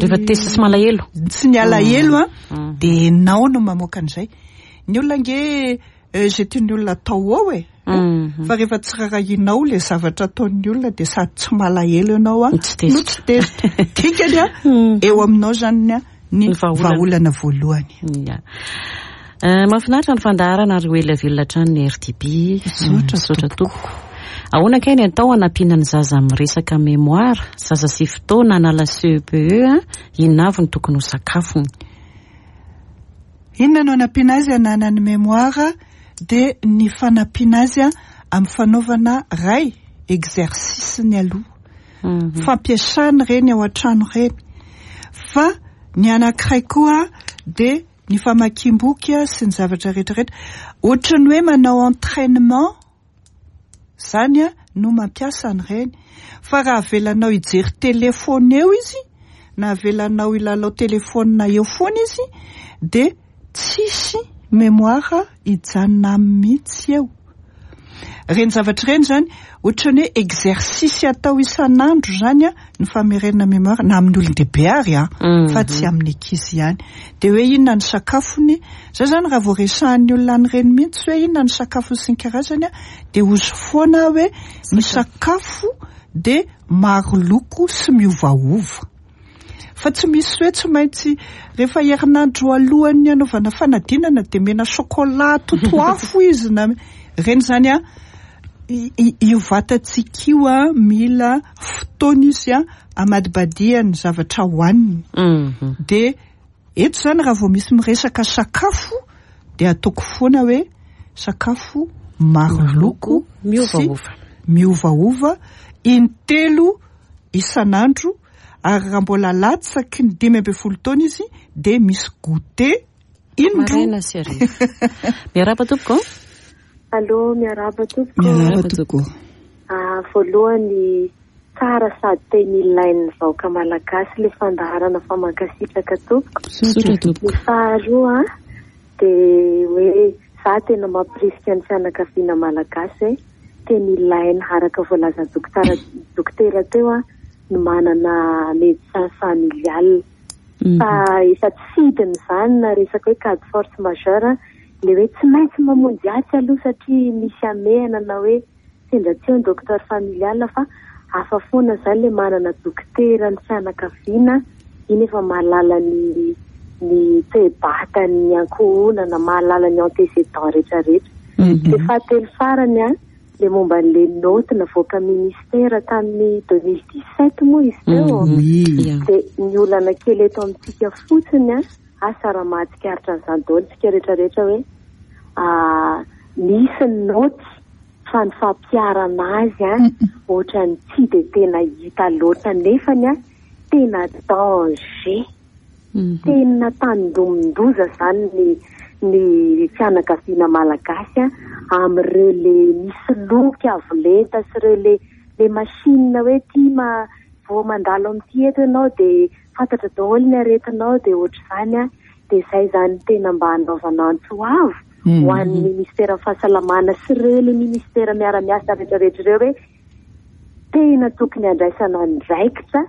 Rehefa tezitra sy malahelo. Tsy ny alahelo a Mm. de enao no mamoaka an'izay. Ny olona nge eh, zay tian'ny olona atao ao e, Mhm. fa rehefa tsy rarahinao le zavatra ataon'ny olona, de sady tsy malahelo ianao a Tsy tezitra. no tsy tezitra. Dikany a Mm. eo aminao zany a ny Ny vahaolana. vahaolana voalohany. Ia. Eh, mahafinaritra ny fandaharana ary ho ela velona hatrany ny R T B. Misaotra. Misaotra tompoko. Ahoana kay ny atao hanampiana ny zaza amin'ny resaka mémoire? Zaza sivy taona hanala C E P E a, inona avy no tokony ho sakafony? Inona no anampiana azy ananany mémoire? De ny fanampiana azy a amin'ny fanaovana ray exercice ny aloha, Mhm. fampiasana reny ao an-trano reny. Fa ny anankiray koa de ny famakiam-boky a sy ny zavatra rehetrarehetra, ohatrany hoe manao entraînement zany a no mampiasa ny reny. Fa raha avelanao hijery telefona eo izy na avelanao hilalao telefona eo foana izy, de tsisy mémoire hijanona aminy mihitsy eo reny zavatra ireny. Zany ohatrany hoe exercice atao isan'andro zany a ny famerenana mémoire, na amin'ny olon-dehibe ary a Mhm. fa tsy amin'ny ankizy ihany. De hoe inona ny sakafony za zany, raha vao resahan'ny olona an'ireny mihitsy hoe inona ny sakafony sy ny karazany a de ozy foana hoe ny sakafo de maro loko sy miovaova, fa tsy misy hoe tsy maintsy rehefa herinandro alohan'ny anaovana fanadinana de mena chocolat totoafo izy na reny zany a i- i- io vatantsika io a mila fotoana izy a amadibadiany zavatra hohaniny. Mhm. De eto zany raha vao misy miresaka sakafo de ataoko foana hoe sakafo maro loko Miovaova. sy miovaova. Intelo isan'andro, ary raha mbola latsaky ny dimy ambin'ny folo taona izy dia misy goûter indroa. Maraina sy hariva. Miarahaba tompoko. Allô, miarahaba tompoko. Miarahaba tompoko. Ah, voalohany, tsara sady tena ilain'ny vahoaka malagasy le fandaharana fa mankasitraka tompoko. Misaotra tompoko. Ny faharoa dia hoe za tena mampirisika ny fianakaviana malagasy hoe tena ilaina araka voalazan'ny dokotera dokotera teo a ny manana médecin familial. Fa efa tsy fidiny izany na resaka hoe cas de force majeure, le hoe tsy maintsy mamonjy atsy aloha satria misy hamehana na hoe sendra tsy eo ny docteur familial, fa hafa foana izany le manana dokotera ny fianakaviana iny efa mahalala ny ny toe-batan'ny ankohonana, mahalala ny antécédent rehetrarehetra. Dia fahatelo farany a, le momba an'le note navoaka ministère tamin'ny deux mille dix-sept moa izy teo. Dia ny olana kely eto amintsika fotsiny a, asa raha mahatsikaritra an'izany daholo tsika rehetrarehetra hoe misy ny note fa ny fampiharana azy a ohatran'ny tsy dia tena hita loatra, nefany a tena danger, tena tandindomin-doza izany ny ny fianakaviana malagasy a amin'ireo le misy loky avo lenta sy ireo le le machine hoe ty ma vao mandalo amin'ity eto ianao dia fantatra daholo ny aretinao dia ohatr'izany a. Dia izay izany tena mba hanaovana antso avo ho an'ny ministeran'ny fahasalamana sy ireo le ministera miara-miasa rehetrarehetra ireo hoe tena tokony handraisana andraikitra.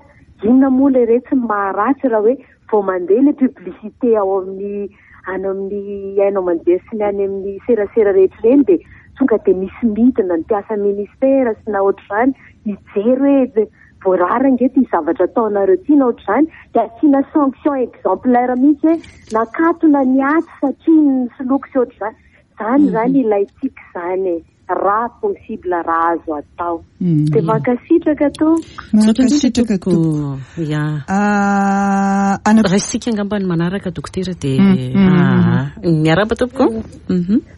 Inona moa le re tsy maharatsy raha hoe vao mandeha le publicité ao amin'ny any amin'ny haino aman-jery sy ny any amin'ny serasera rehetra ireny dia tonga dia misy midina ny mpiasa ministera sy na ohatr'izany mijery hoe voarara ange ty zavatra ataonareo ty na ohatr'izany, dia asiana sanction exemplaire mihitsy hoe nakatona ny atsy satria nisoloky sy ohatr'izany. Zany zany ilaintsika izany e, raha possible, raha azo atao. Dia mankasitraka tompoko. Mankasitraka tompoko. Ya. Ah, ana Raisika angamba ny manaraka dokotera dia miarahaba tompoko.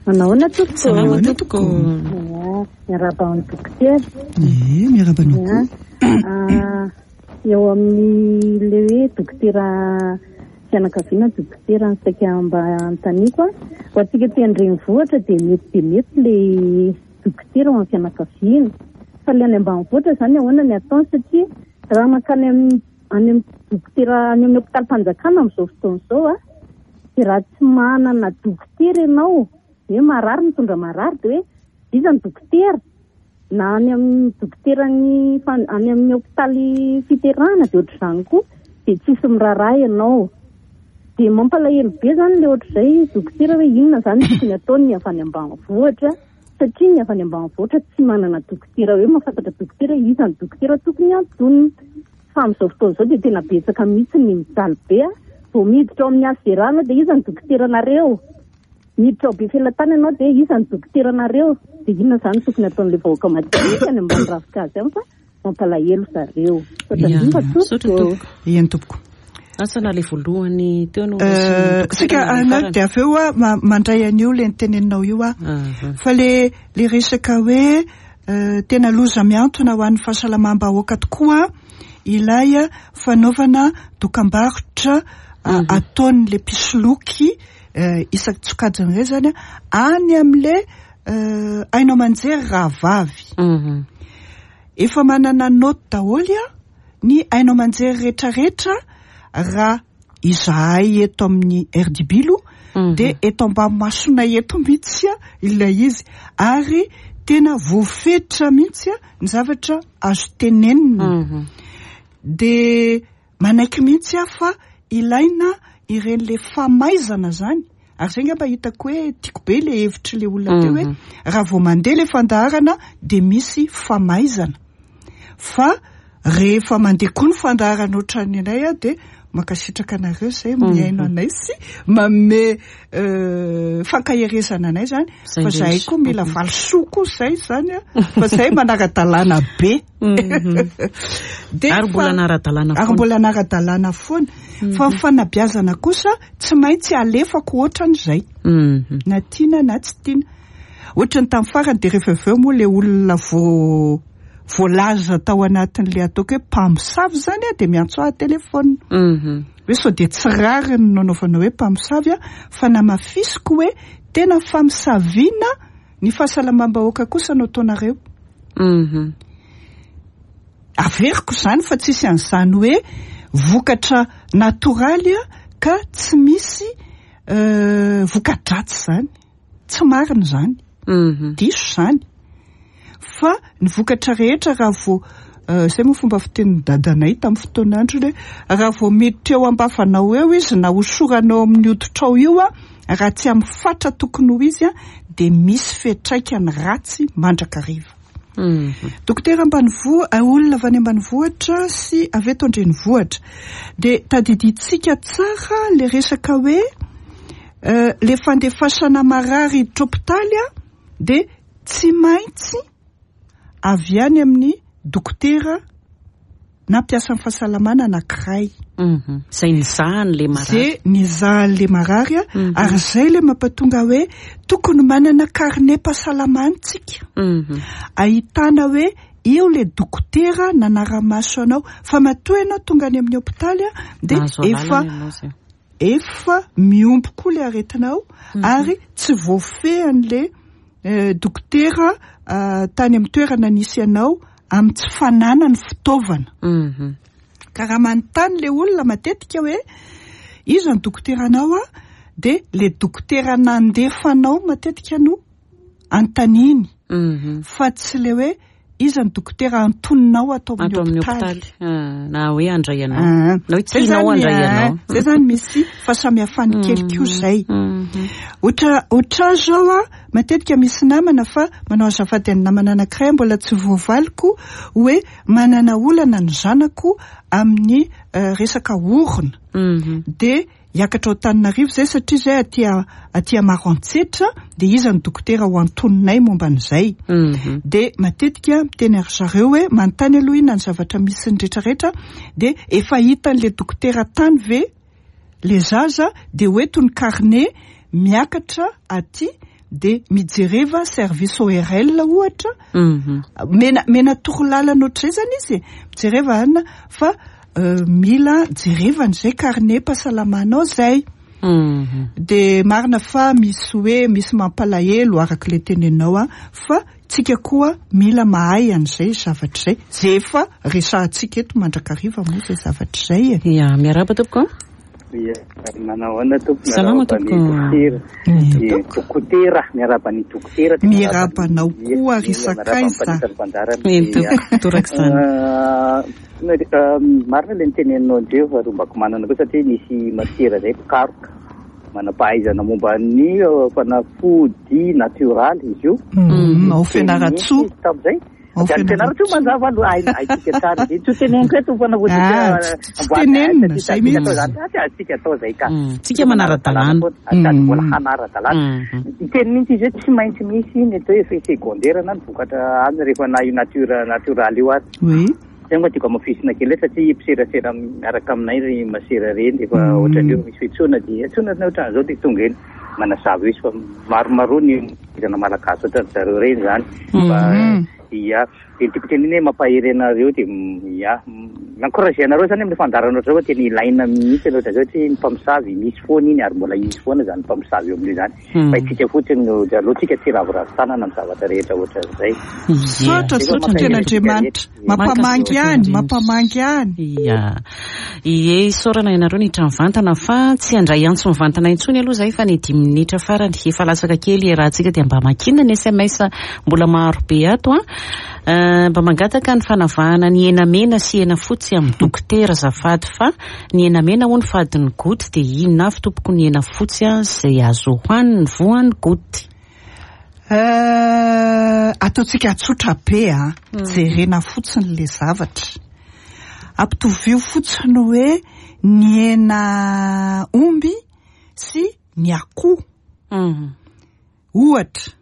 Manahoana tompoko? Salama tompoko. Miarahaba amin'ny dokotera. Eh, miarahaba anao koa. Ah, eo amin'ny le hoe dokotera fianakaviana, dokotera ny saika mba anontaniako a. Ho antsika aty an-drenivohitra dia mety dia mety le dokotera ho an'ny fianakaviana. Fa le any ambanivohitra izany ahoana ny ataony, satria raha mankany amin'ny any amin'ny dokotera any amin'ny hôpitalim-panjakana amin'izao fotoana izao a, dia raha tsy manana dokotera ianao, hoe marary mitondra marary dia hoe iza ny dokotera? Na any amin'ny dokoteran'ny fan-, any amin'ny hôpitaly fiterahana dia ohatr'izany koa, dia tsisy miraharaha ianao. Dia mampalahelo be izany le ohatr'izay dokotera hoe inona izany tokony ataony avy any ambanivohitra, satria ny avy any ambanivohitra tsy manana dokotera hoe mahafantatra dokotera iza ny dokotera tokony antonina. Fa amin'izao fotoana izao dia tena betsaka mihitsy ny mijaly be a. Vao miditra ao amin'ny H Z R ianao dia iza ny dokoteranareo? Miditra ao Befelatanana ianao dia iza ny dokoteranareo? Dia inona izany tokony ataon'ilay vahoaka madinika any ambany ravinkazo any fa mampalahelo zareo. Misaotra Ya, indrindra misaotra tompoko. tompoko. Eny tompoko. Asa na le voalohany teo no Eh, resy dokotera sika na le anao farany. dia avy eo a, ma-, mandray an'io le niteneninao io a. Aha. Fa le, le resaka hoe, eh, tena loza miantona ho an'ny fahasalamam-bahoaka tokoa ilay fanaovana dokam-barotra, a, Mhm. ataon'le mpisoloky, eh, isan-tsokajiny ireny zany a, any amin'le, eh, haino aman-jery rahavavy. Mhm. Efa manana note daholo a ny haino aman-jery rehetrarehetra raha izahay eto amin'ny R D B aloha, Mhm. dia eto ambany masonay eto mihitsy a ilay izy, ary tena voafetra mihitsy a ny zavatra azo tenenina. Mhm. Dia manaiky mihitsy aho fa ilaina ireny le famaizana zany. Ary zay angamba hitako hoe tiako be le hevitry le olona teo hoe Mhm. raha vao mandeha le fandaharana dia misy famaizana. Fa rehefa mandeha koa ny fandaharana ohatran'ny anay a, dia mankasitraka anareo izay mihaino anay sy manome, euh, fankaherezana anay zany. Zay Fa zahay indrindra. koa mila Mhm. valisoa koa zay zany a, fa zay manara-dalàna be. Mhm. Dia Ary mbola fa- anara-dalàna ary foana. mbola anara-dalàna foana. Fa ny fanabeazana kosa tsy maintsy alefako ohatran'izay. Mhm. Na tiana na tsy tiana. Ohatran'ny tamin'ny farany dia rehefa avy eo moa le olona vo-, voalaza tao anatin'le ataoko hoe mpamosavy zany a, de miantso ahy telefona hoe sao de tsy rariny no anaovana hoe mpamosavy a, fa namafisiko hoe tena famosaviana ny fahasalamam-bahoaka kosa no ataonareo. Averiko zany fa tsisy an'izany hoe vokatra natoraly a ka tsy misy voka-dratsy zany, tsy marina zany, diso zany. Fa ny vokatra rehetra raha vao zay moa fomba fitenin'ny dadanay tamin'ny fotoan'androny hoe raha vao miditra eo am-bavanao eo izy na hosoranao amin'ny hoditrao io a, raha tsy amin'ny fatra tokony ho izy a, de misy fiantraikany ratsy mandrakariva. Dokotera ambanivohitra, olona avy any ambanivohitra sy avy eto an-drenivohitra, de tadidintsika tsara le resaka hoe le fandefasana marary hiditra hopitaly a, de tsy maintsy avy any amin'ny dokotera na mpiasan'ny fahasalamana anankiray. Zay nizahany le marary. Zay nizahany le marary a, ary zay le mampatonga hoe tokony manana carnet-pahasalamana tsika. Ahitana hoe io le dokotera nanara-maso anao, fa matoa ianao tonga any amin'ny hopitaly a, de efa efa miombo koa le aretinao ary tsy voafehan'le dokotera tany amin'ny toerana nisy anao amin'ny tsy fananany fitaovana. Ka raha manontany le olona matetika hoe iza ny dokoteranao a, de le dokotera nandefanao matetika no antaniny, fa tsy le hoe iza ny dokotera antoninao atao amin'ny hopitaly na hoe andray anao, na hoe tianao andray anao. Zay zany misy fahasamihafany kely koa zay. Ohatra ohatra zao a, matetika misy namana fa manao azafady ny namana anankiray mbola tsy voavaliko hoe manana olana ny zanako amin'ny resaka orona, de hiakatra ao Antananarivo zay satria zay aty aty Maroantsetra, de iza ny dokotera ho antoninay momba an'izay. De matetika miteny ary zareo hoe manontany aloha inona ny zavatra misy ny rehetrarehetra, de efa hitan'le dokotera tany ve le zaza, de hoeto ny carnet miakatra aty, de mijereva service O R L ohatra, mena mena torolalana ohatr'izay zany izy, mijereva anina fa mila jerevana zay carnet pahasalamanao zay. De marina fa misy hoe misy mampalahelo araka le tenenao a, fa tsika koa mila mahay an'izay zavatra zay, zay efa resahantsika eto mandrakariva moa zay zavatra zay e. Ya, miarahaba tompoko. Ya, manao ahoana tompoko? Salama tompoko. Dokotera, miarahaba ny dokotera. Miarahaba anao koa ry sakaiza. Torak'izany. Marina le niteneninao andreo fa rombako manana koa satria nisy masera zay mpikaroka manam-pahaizana momba ny fanafody natioraly izy io. Ao Fianarantsoa. Tamin'izay. Ao Fianarantsoa mazava aloha, hay haitsika tsara izy. Tsy teneniko eto fanafody tsy tenenina zay mihitsy. Tsika atao zay ka. Tsika manara-dalàna. Sady mbola hanara-dalàna. Iteny mihitsy izy hoe tsy maintsy misy ny atao hoe effet secondaire na ny vokatra any rehefa na io nature natioraly io ary. Oui. Zay moa tiako hamafisina kely satria mpiserasera miaraka aminay ry masera reny efa ohatran'ireo misy fiantsoana dia antsoina na ohatran'izao dia tonga eny manazava izy fa maromaro ny izana malagasy ohatran'ny zareo reny zany. Fa ia, dia tiako tenenina hoe mampahery anareo dia ia, mi-encourager anareo zany amin'ny fandaharana ohatr'izao fa tena ilaina mihitsy aloha ohatr'izao satria ny mpamosavy misy foana iny ary mbola hisy foana zany mpamosavy eo amin'io zany. Fa isika fotsiny no aloha tsika tsy ravoravo tanana amin'ny zavatra rehetra ohatran'izay. Misaotra, misaotra tena Andriamanitra. Mampamangy ihany, mampamangy ihany. Ia. Ie, isaorana ianareo niditra mivantana fa tsy handray antso mivantana intsony aloha zay fa ny dimy minitra farany efa latsaka kely iarahantsika dia mba makiana ny S M S mbola maro be ato a. Mba mangataka ny fanavahana ny hena mena sy hena fotsy amin'ny dokotera azafady fa ny hena mena hono fadin'ny goty dia inona avy tompoko ny hena fotsy a izay azo hohaniny voan'ny goty? Ataontsika tsotra be a, jerena fotsiny le zavatra. Ampitovio fotsiny hoe ny hena omby sy ny akoho. Ohatra,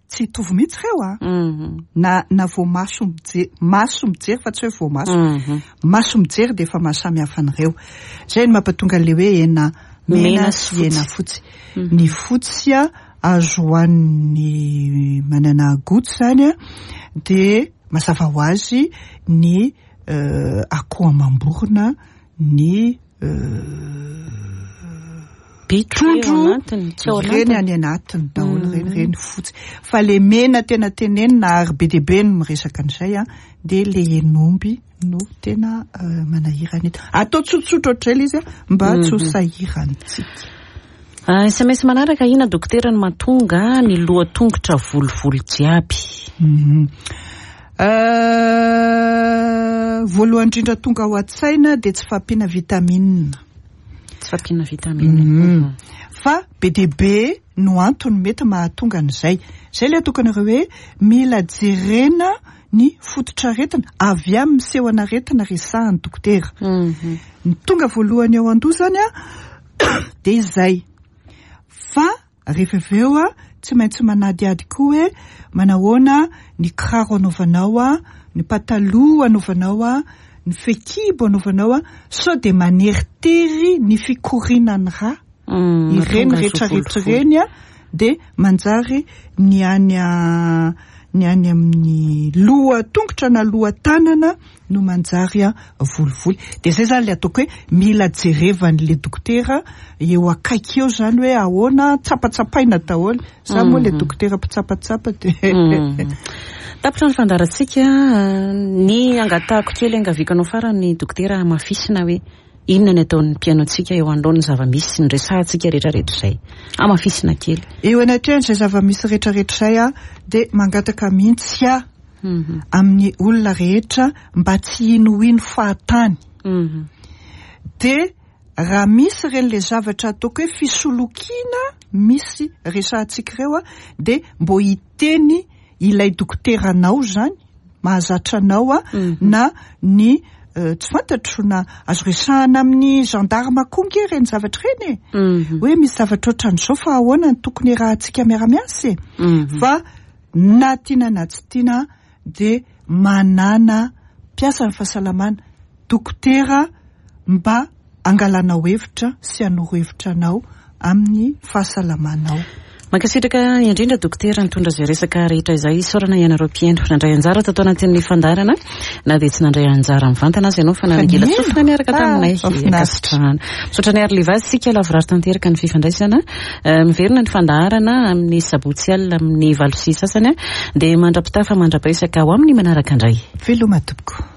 tsy hitovy mihitsy ireo a. Na, na voamaso mijery, maso mijery fa tsy hoe voamaso. Maso mijery dia efa mahasamihafa an'ireo. Zay no mampatonga an'le hoe hena mena sy hena fotsy. Ny fotsy a azo hohanin'ny manana goty zany a, dia Mazava ho azy ny akoho amam-borona, ny trondro ireny any anatiny daholo, ireny ireny fotsy. Fa le mena tena tenenina ary be dia be no miresaka an'izay a, dia le henomby no tena manahirana eto. Atao tsotsotra ohatr'izay ilay izy a, mba tsy ho sahirantsika. S M S manaraka, ina dokotera no mahatonga ny loha tongotra volovolo jiaby? Voalohany indrindra tonga ao an-tsaina dia tsy fahampiana vitamine. Tsy fahampiana vitamine. Fa be dia be no antony mety mahatonga an'izay. Izay ilay tokony ireo hoe mila jerena ny fototr'aretina avy amin'ny seho an'aretina resahan'ny dokotera. Ny tonga voalohany ao an-doha zany a dia izay. Fa rehefa avy eo a tsy maintsy manadihady koa hoe manahoana ny kiraro anaovanao a, ny pataloha anaovanao a, ny fehikibo anaovanao a, sao dia maneritery ny fikorinan'ny rà. Ireny rehetrarehetra ireny a dia manjary ny any a ny any amin'ny loha tongotra na loha tanana no manjary a volivoly. Dia izay zany ilay ataoko hoe mila jerevan'ilay dokotera eo akaiky eo zany hoe ahoana, tsapatsapaina daholo. Za moa ilay dokotera mpitsapatsapa dia tapitra ny fandaharantsika. Ny angatahako kely angaviko anao farany dokotera, hamafisina hoe inona ny ataon'ny mpihaino antsika eo anoloan'ny zava-misy ny resahantsika rehetrarehetra izay. Hamafisina kely eo anatrehan'izay zava-misy rehetrarehetra izay a, dia mangataka mihitsy a amin'ny olona rehetra mba tsy hinohino fahatany. Dia raha misy ireny le zavatra ataoko hoe fisolokiana misy resahantsika ireo a, dia mbo hiteny ilay dokoteranao zany mahazatra anao a, na ny tsy fantatro na azo resahana amin'ny gendarme koa nge ireny zavatra ireny e. Hoe misy zavatra ohatran'izao fa ahoana ny tokony rahantsika miara-miasa e. Fa na tiana na tsy tiana dia manana mpiasa ny fahasalamana, dokotera mba angalanao hevitra sy hanoro hevitra anao amin'ny fahasalamanao. Mankasitraka indrindra dokotera nitondra izay resaka rehetra izay. Isaorana ianareo mpihaino nandray anjara tato anatin'ny fandaharana, na dia tsy nandray anjara mivantana aza ianao fa nanangila tsofina niaraka taminay. Ankasitrahana. Misaotra ny Ary Livazy, sika lavorary tanteraka ny fifandraisana. Miverina ny fandaharana amin'ny sabotsy alina amin'ny valo sy sasany, dia mandra-pitafa mandra-piresaka ho amin'ny manaraka indray. Veloma tompoko.